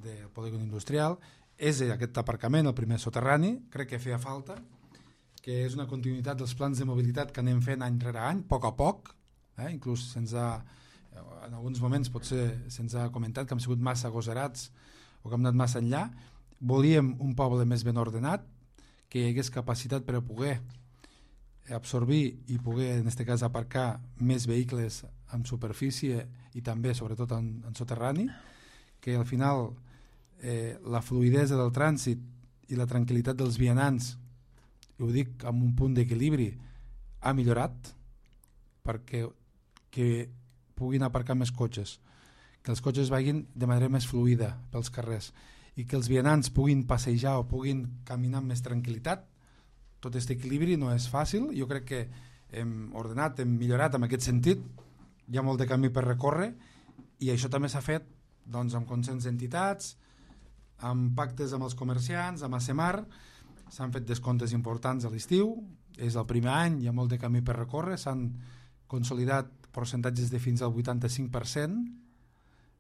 del polígon industrial. És aquest aparcament el primer soterrani, crec que feia falta, que és una continuïtat dels plans de mobilitat que anem fent any rere any, a poc, inclús en alguns moments potser se'ns ha comentat que hem sigut massa agosarats o que hem anat massa enllà. Volíem un poble més ben ordenat, que hi hagués capacitat per a poder absorbir i poder, en aquest cas, aparcar més vehicles en superfície i també, sobretot, en soterrani, que al final la fluïdesa del trànsit i la tranquil·litat dels vianants, i ho dic amb un punt d'equilibri, ha millorat perquè que puguin aparcar més cotxes, que els cotxes vagin de manera més fluida pels carrers i que els vianants puguin passejar o puguin caminar amb més tranquil·litat. Tot aquest equilibri no és fàcil. Jo crec que hem ordenat, hem millorat en aquest sentit. Hi ha molt de camí per recórrer i això també s'ha fet doncs, amb consens d'entitats, amb pactes amb els comerciants, amb ASEMAR. S'han fet descomptes importants a l'estiu, és el primer any, hi ha molt de camí per recórrer, s'han consolidat percentatges de fins al 85%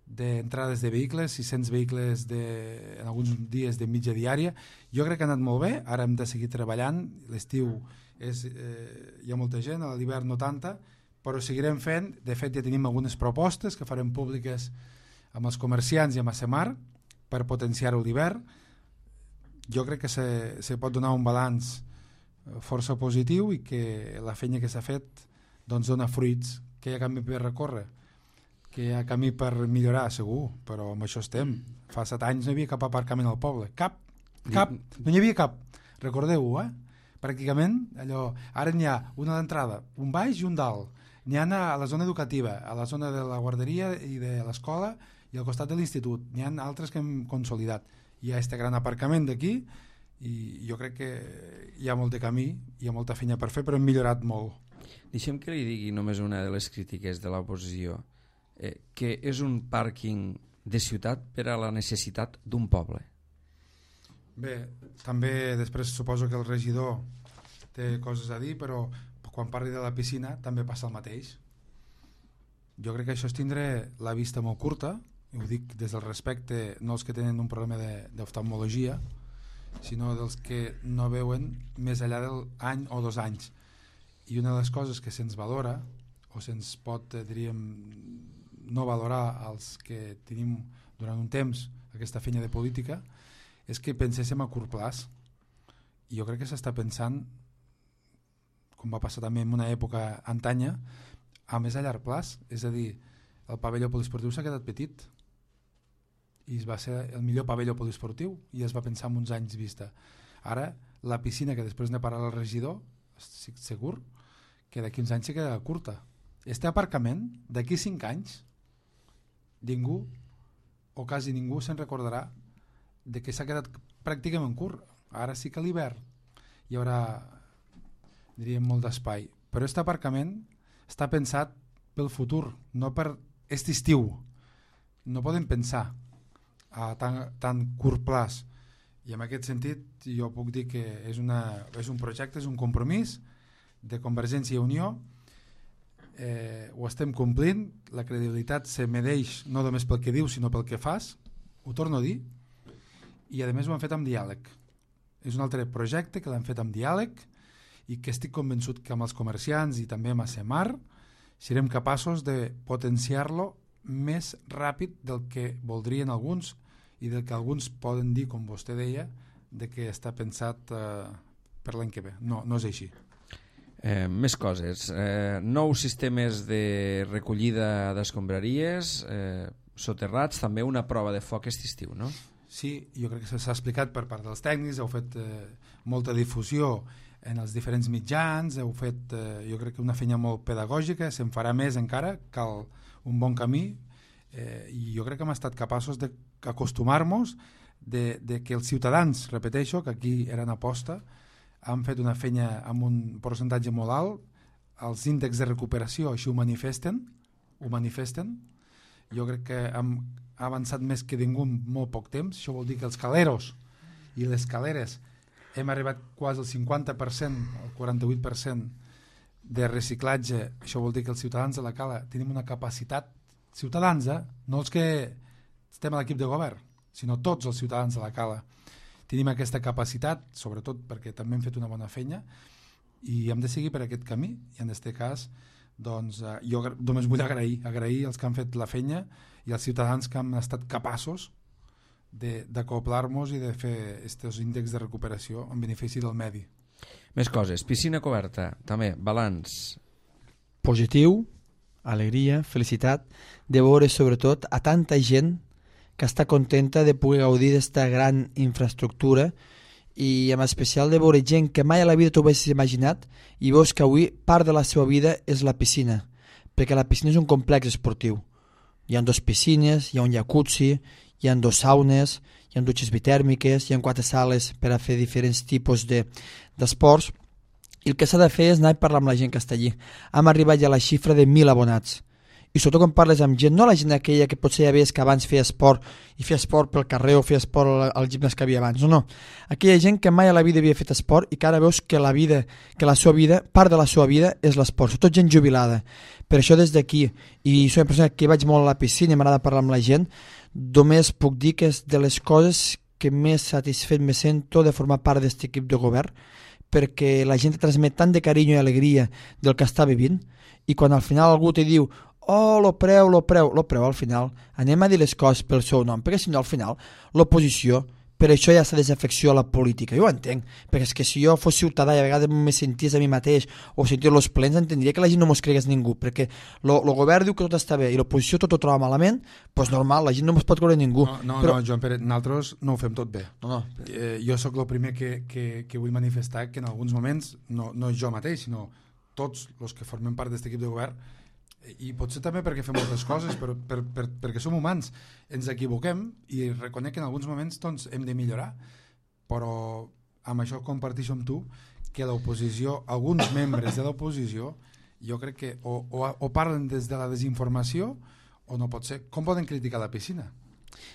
d'entrades de vehicles, 600 vehicles en alguns dies de mitja diària. Jo crec que ha anat molt bé, ara hem de seguir treballant, l'estiu hi ha molta gent, a l'hivern no tanta, però seguirem fent. De fet ja tenim algunes propostes que farem públiques amb els comerciants i amb ASEMAR per potenciar-ho l'hivern. Jo crec que se pot donar un balanç força positiu i que la feina que s'ha fet doncs dona fruits, que hi ha camí per recórrer, que hi ha camí per millorar, segur, però amb això estem. Fa 7 anys no hi havia cap aparcament al poble, cap, no hi havia cap, recordeu-ho, pràcticament allò. Ara n'hi ha una d'entrada, un baix i un dalt. N'hi ha a la zona educativa, a la zona de la guarderia i de l'escola i al costat de l'institut n'hi ha altres que hem consolidat. Hi ha este gran aparcament d'aquí i jo crec que hi ha molt de camí, hi ha molta feina per fer, però hem millorat molt. Deixem que li digui només una de les crítiques de l'oposició, que és un pàrquing de ciutat per a la necessitat d'un poble. Bé, també després suposo que el regidor té coses a dir, però quan parli de la piscina també passa el mateix. Jo crec que això és tindre la vista molt curta, i ho dic des del respecte, no els que tenen un problema d'oftalmologia, sinó dels que no veuen més enllà del any o 2 anys. I una de les coses que se'ns valora, o se'ns pot, diríem, no valorar als que tenim durant un temps aquesta feina de política, és que penséssim a curt plaç. I jo crec que s'està pensant, com va passar també en una època antanya, a més a llarg plaç. És a dir, el pavelló poliesportiu s'ha quedat petit i va ser el millor pavelló poliesportiu i es va pensar en uns anys vista. Ara, la piscina, que després n'he parlat al regidor, estic segur que d'aquí uns anys se queda curta. Este aparcament, d'aquí 5 anys, ningú, o quasi ningú, se'n recordarà de que s'ha quedat pràcticament curt. Ara sí que a l'hivern hi haurà, diríem, molt d'espai. Però aquest aparcament està pensat pel futur, no per aquest estiu. No podem pensar a tan curt plaç. I en aquest sentit jo puc dir que és un projecte, és un compromís de Convergència i Unió. Ho estem complint, la credibilitat se medeix no només pel que dius sinó pel que fas, ho torno a dir, i a més ho han fet amb diàleg. És un altre projecte que l'han fet amb diàleg i que estic convençut que amb els comerciants i també amb ASEMAR serem capaços de potenciar-lo més ràpid del que voldrien alguns i del que alguns poden dir, com vostè deia, de que està pensat per l'any que ve. No és així. Més coses. Nous sistemes de recollida d'escombraries, soterrats, també una prova de foc aquest estiu, no? Sí, jo crec que s'ha explicat per part dels tècnics, heu fet molta difusió en els diferents mitjans, heu fet jo crec que una feina molt pedagògica, se'n farà més encara, cal un bon camí, i jo crec que hem estat capaços d'acostumar-nos de que els ciutadans, repeteixo, que aquí eren aposta, han fet una feina amb un percentatge molt alt, els índexs de recuperació així ho manifesten, jo crec que hem avançat més que ningú en molt poc temps. Això vol dir que els caleros i les caleres hem arribat quasi al 50%, al 48% de reciclatge. Això vol dir que els ciutadans de la cala tenim una capacitat, ciutadans, no els que estem a l'equip de govern, sinó tots els ciutadans de la cala. Tenim aquesta capacitat, sobretot perquè també hem fet una bona feina i hem de seguir per aquest camí. I en aquest cas, doncs, jo només vull agrair els que han fet la feina i els ciutadans que han estat capaços d'acoplar-nos i de fer aquests índexs de recuperació en benefici del medi. Més coses. Piscina coberta, també, balanç. Positiu, alegria, felicitat, de veure sobretot a tanta gent que està contenta de poder gaudir d'esta gran infraestructura i en especial de veure gent que mai a la vida t'ho haguessis imaginat i veus que avui part de la seva vida és la piscina, perquè la piscina és un complex esportiu. Hi ha 2 piscines, hi ha un jacuzzi, hi ha 2 saunes, hi ha dutxes bitèrmiques, hi ha 4 sales per a fer diferents tipus d'esports i el que s'ha de fer és anar a parlar amb la gent que està allí. Hem arribat ja a la xifra de 1.000 abonats. I sobretot quan parles amb gent, no la gent aquella que potser ja veies que abans feia esport i feia esport pel carrer o feia esport al gimnàs que havia abans, no. Aquella gent que mai a la vida havia fet esport i que ara veus que la seva vida, part de la seva vida és l'esport, sobretot gent jubilada. Per això des d'aquí, i soc una persona que vaig molt a la piscina i m'agrada parlar amb la gent, només puc dir que és de les coses que més satisfet me sento de formar part d'aquest equip de govern, perquè la gent transmet tant de carinyo i alegria del que està vivint i quan al final algú te diu lo preu, al final anem a dir les coses pel seu nom, perquè si no al final l'oposició, per això hi ha aquesta desafecció a la política. Jo ho entenc, perquè és que si jo fos ciutadà i a vegades me senties a mi mateix o senties els plens, entendria que la gent no mos cregués ningú, perquè el govern diu que tot està bé i l'oposició tot ho troba malament, doncs normal, la gent no mos pot creure ningú. No, Joan Pere, nosaltres no ho fem tot bé. Jo sóc el primer que vull manifestar que en alguns moments, no jo mateix, sinó tots els que formem part d'aquest equip de govern, i potser també perquè fem moltes coses, però perquè som humans, ens equivoquem i reconec que en alguns moments doncs, hem de millorar, però amb això comparteixo amb tu que l'oposició, alguns membres de l'oposició, jo crec que o parlen des de la desinformació o no pot ser. Com poden criticar la piscina?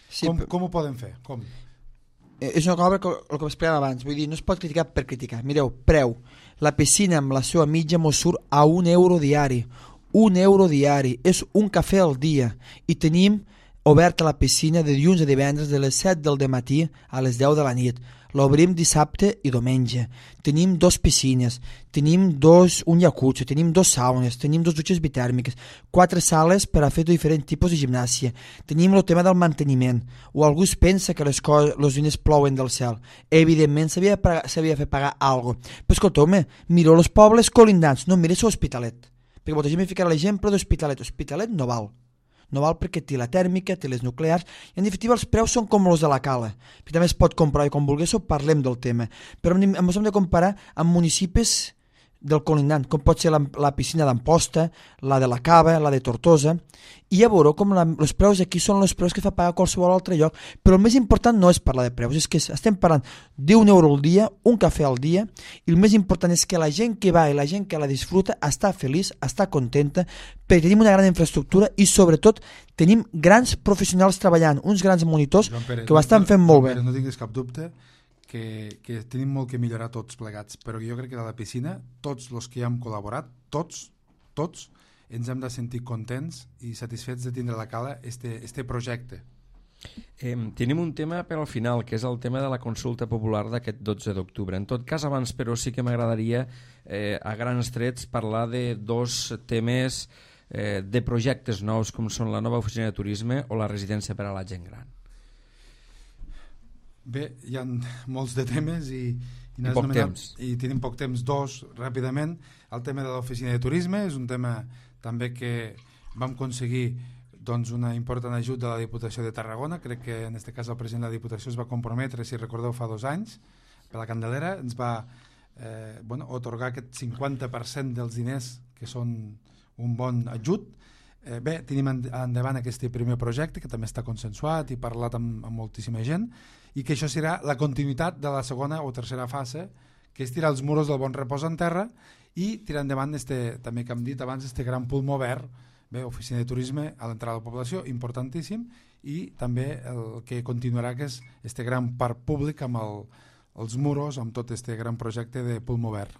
Sí, com ho poden fer? Com? És una cosa que el que explicàvem abans, vull dir, no es pot criticar per criticar. Mireu, preu, la piscina amb la seva mitja mos surt a €1 diari, €1 diari, és un cafè al dia, i tenim oberta la piscina de dilluns a divendres de les 7 del matí a les 10 de la nit. L'obrim dissabte i diumenge. Tenim 2 piscines, tenim un jacuzzi, tenim 2 saunes, tenim 2 dutxes bitèrmiques, 4 sales per a fer diferents tipus de gimnàsia. Tenim el tema del manteniment. O algú es pensa que els diners plouen del cel. Evidentment s'havia de fer pagar alguna cosa. Però escolteu-me, mireu els pobles colindants, no mireu l'Hospitalet. Perquè molta gent me ficarà l'exemple d'Hospitalet. L'Hospitalet no val. No val perquè té la tèrmica, té les nuclears, i en definitiva els preus són com els de la Cala. Però també es pot comprar i com vulguéssiu parlem del tema. Però ens hem de comparar amb municipis del colindant, com pot ser la piscina d'Amposta, la de la Cava, la de Tortosa, i ja veureu com els preus aquí són els preus que fa pagar qualsevol altre lloc. Però el més important no és parlar de preus, és que estem parlant d'€1 al dia, un cafè al dia, i el més important és que la gent que va i la gent que la disfruta està feliç, està contenta, perquè tenim una gran infraestructura i sobretot tenim grans professionals treballant, uns grans monitors que ho estan fent molt bé. No tinguis cap dubte que tenim molt que millorar tots plegats, però jo crec que de la piscina, tots els que hi hem col·laborat, tots, ens hem de sentir contents i satisfets de tindre a la Cala este projecte. Tenim un tema per al final, que és el tema de la consulta popular d'aquest 12 d'octubre. En tot cas, abans, però, sí que m'agradaria a grans trets parlar de 2 temes de projectes nous, com són la nova oficina de turisme o la residència per a la gent gran. Bé, hi ha molts de temes i poc temps. I tenim poc temps. 2, ràpidament. El tema de l'oficina de turisme és un tema també que vam aconseguir doncs, una important ajut de la Diputació de Tarragona. Crec que en aquest cas el president de la Diputació es va comprometre, si recordeu, fa 2 anys, per la Candelera, ens va otorgar aquest 50% dels diners, que són un bon ajut. Bé, tenim endavant aquest primer projecte, que també està consensuat i parlat amb moltíssima gent, i que això serà la continuïtat de la segona o tercera fase, que és tirar els muros del Bon Repòs en terra i tirar endavant, també que hem dit abans, gran pulmó verd, bé, oficina de turisme a l'entrada de la població, importantíssim, i també el que continuarà, que és gran parc públic amb els muros, amb tot gran projecte de pulmó verd.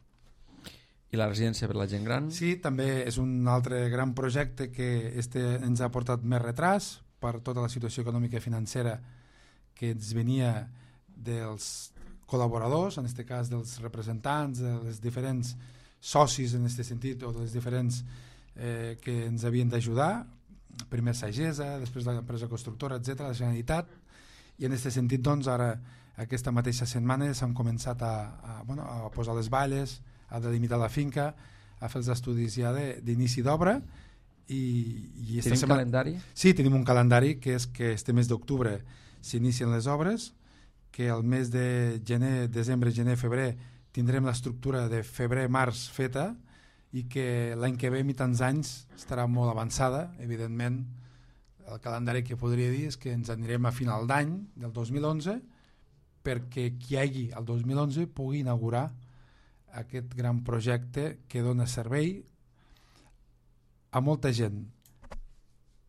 I la residència per la gent gran? Sí, també és un altre gran projecte que ens ha portat més retras per tota la situació econòmica i financera que ens venia dels col·laboradors, en aquest cas dels representants, dels diferents socis en aquest sentit, o dels diferents que ens havien d'ajudar, primer Sagesa, després l'empresa constructora, etc., la Generalitat, i en aquest sentit, doncs, ara, aquesta mateixa setmana s'han començat a posar les valles, a delimitar la finca, a fer els estudis ja d'inici d'obra. Tenim calendari? Sí, tenim un calendari que és que este mes d'octubre s'inicien les obres, que el mes de gener, desembre, gener, febrer tindrem l'estructura de febrer-març feta i que l'any que ve, a mitjans anys, estarà molt avançada. Evidentment, el calendari que podria dir és que ens anirem a final d'any del 2011 perquè qui hi hagi el 2011 pugui inaugurar aquest gran projecte que dona servei a molta gent,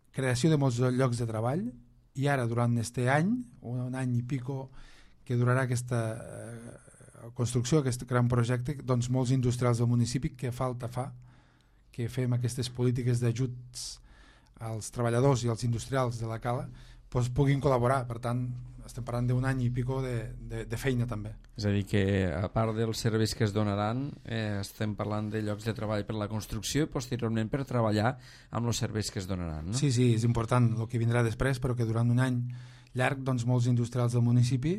creació de molts llocs de treball, i ara durant aquest any, un any i pico que durarà aquesta construcció, aquest gran projecte, doncs molts industrials del municipi, que falta fa que fem aquestes polítiques d'ajuts als treballadors i als industrials de la Cala, doncs puguin col·laborar. Per tant, estem parlant d'un any i pico de feina també. És a dir, que a part dels serveis que es donaran, estem parlant de llocs de treball per la construcció i posteriorment per treballar amb els serveis que es donaran, no? Sí, és important el que vindrà després, però que durant un any llarg, doncs, molts industrials del municipi,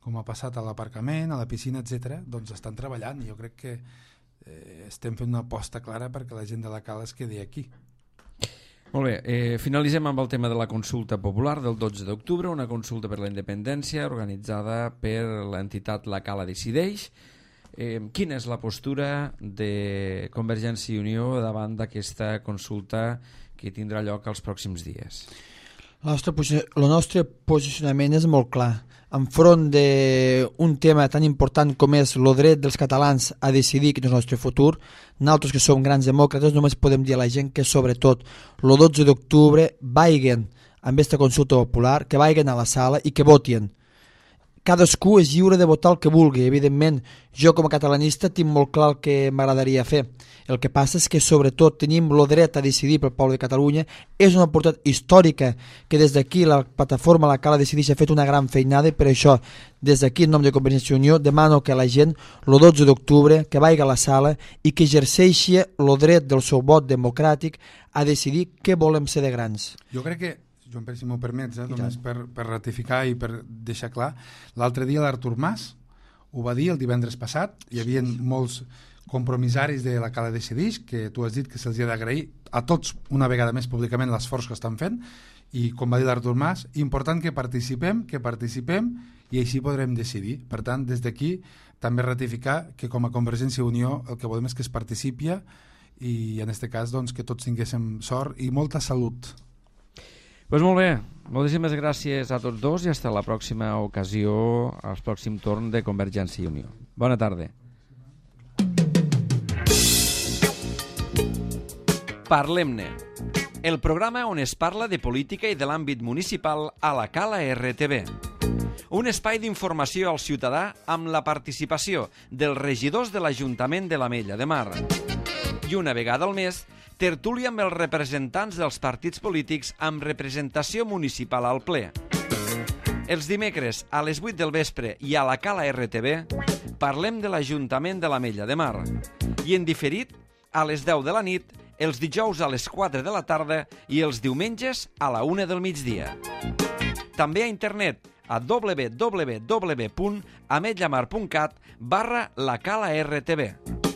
com ha passat a l'aparcament, a la piscina, etc., doncs estan treballant, i jo crec que estem fent una aposta clara perquè la gent de la Cala es quedi aquí. Molt bé, finalitzem amb el tema de la consulta popular del 12 d'octubre, una consulta per la independència organitzada per l'entitat La Cala Decideix. Quina és la postura de Convergència i Unió davant d'aquesta consulta que tindrà lloc els pròxims dies? El nostre posicionament és molt clar. Enfront d'un tema tan important com és el dret dels catalans a decidir quin és el nostre futur, nosaltres que som grans demòcrates només podem dir a la gent que sobretot el 12 d'octubre vagin amb aquesta consulta popular, que vagin a la sala i que votin. Cadascú és lliure de votar el que vulgui. Evidentment, jo com a catalanista tinc molt clar el que m'agradaria fer. El que passa és que sobretot tenim el dret a decidir pel poble de Catalunya. És una oportunitat històrica que des d'aquí la plataforma La Cala Decideix ha fet una gran feinada i per això des d'aquí en nom de Convergència i Unió demano que la gent el 12 d'octubre que vagi a la sala i que exerceixi el dret del seu vot democràtic a decidir què volem ser de grans. Jo crec que, Joan Pere, si m'ho permets, només per ratificar i per deixar clar, l'altre dia l'Artur Mas ho va dir el divendres passat, hi havia molts compromissaris de La Cala Decideix, que tu has dit que se'ls ha d'agrair a tots una vegada més públicament l'esforç que estan fent, i com va dir l'Artur Mas, important que participem i així podrem decidir. Per tant, des d'aquí també ratificar que com a Convergència i Unió el que volem és que es participi i en aquest cas doncs, que tots tinguéssim sort i molta salut. Pues molt bé, moltíssimes gràcies a tots dos i fins a la pròxima ocasió, al pròxim torn de Convergència i Unió. Bona tarda. Parlem-ne, el programa on es parla de política i de l'àmbit municipal a la Cala RTV. Un espai d'informació al ciutadà amb la participació dels regidors de l'Ajuntament de l'Ametlla de Mar. I una vegada al mes, tertúlia amb els representants dels partits polítics amb representació municipal al ple. Els dimecres a les 8 del vespre i a la Cala RTV parlem de l'Ajuntament de l'Ametlla de Mar i en diferit a les 10 de la nit, els dijous a les 4 de la tarda i els diumenges a la 1 del migdia. També a internet a www.ametllamar.cat/la Cala RTV.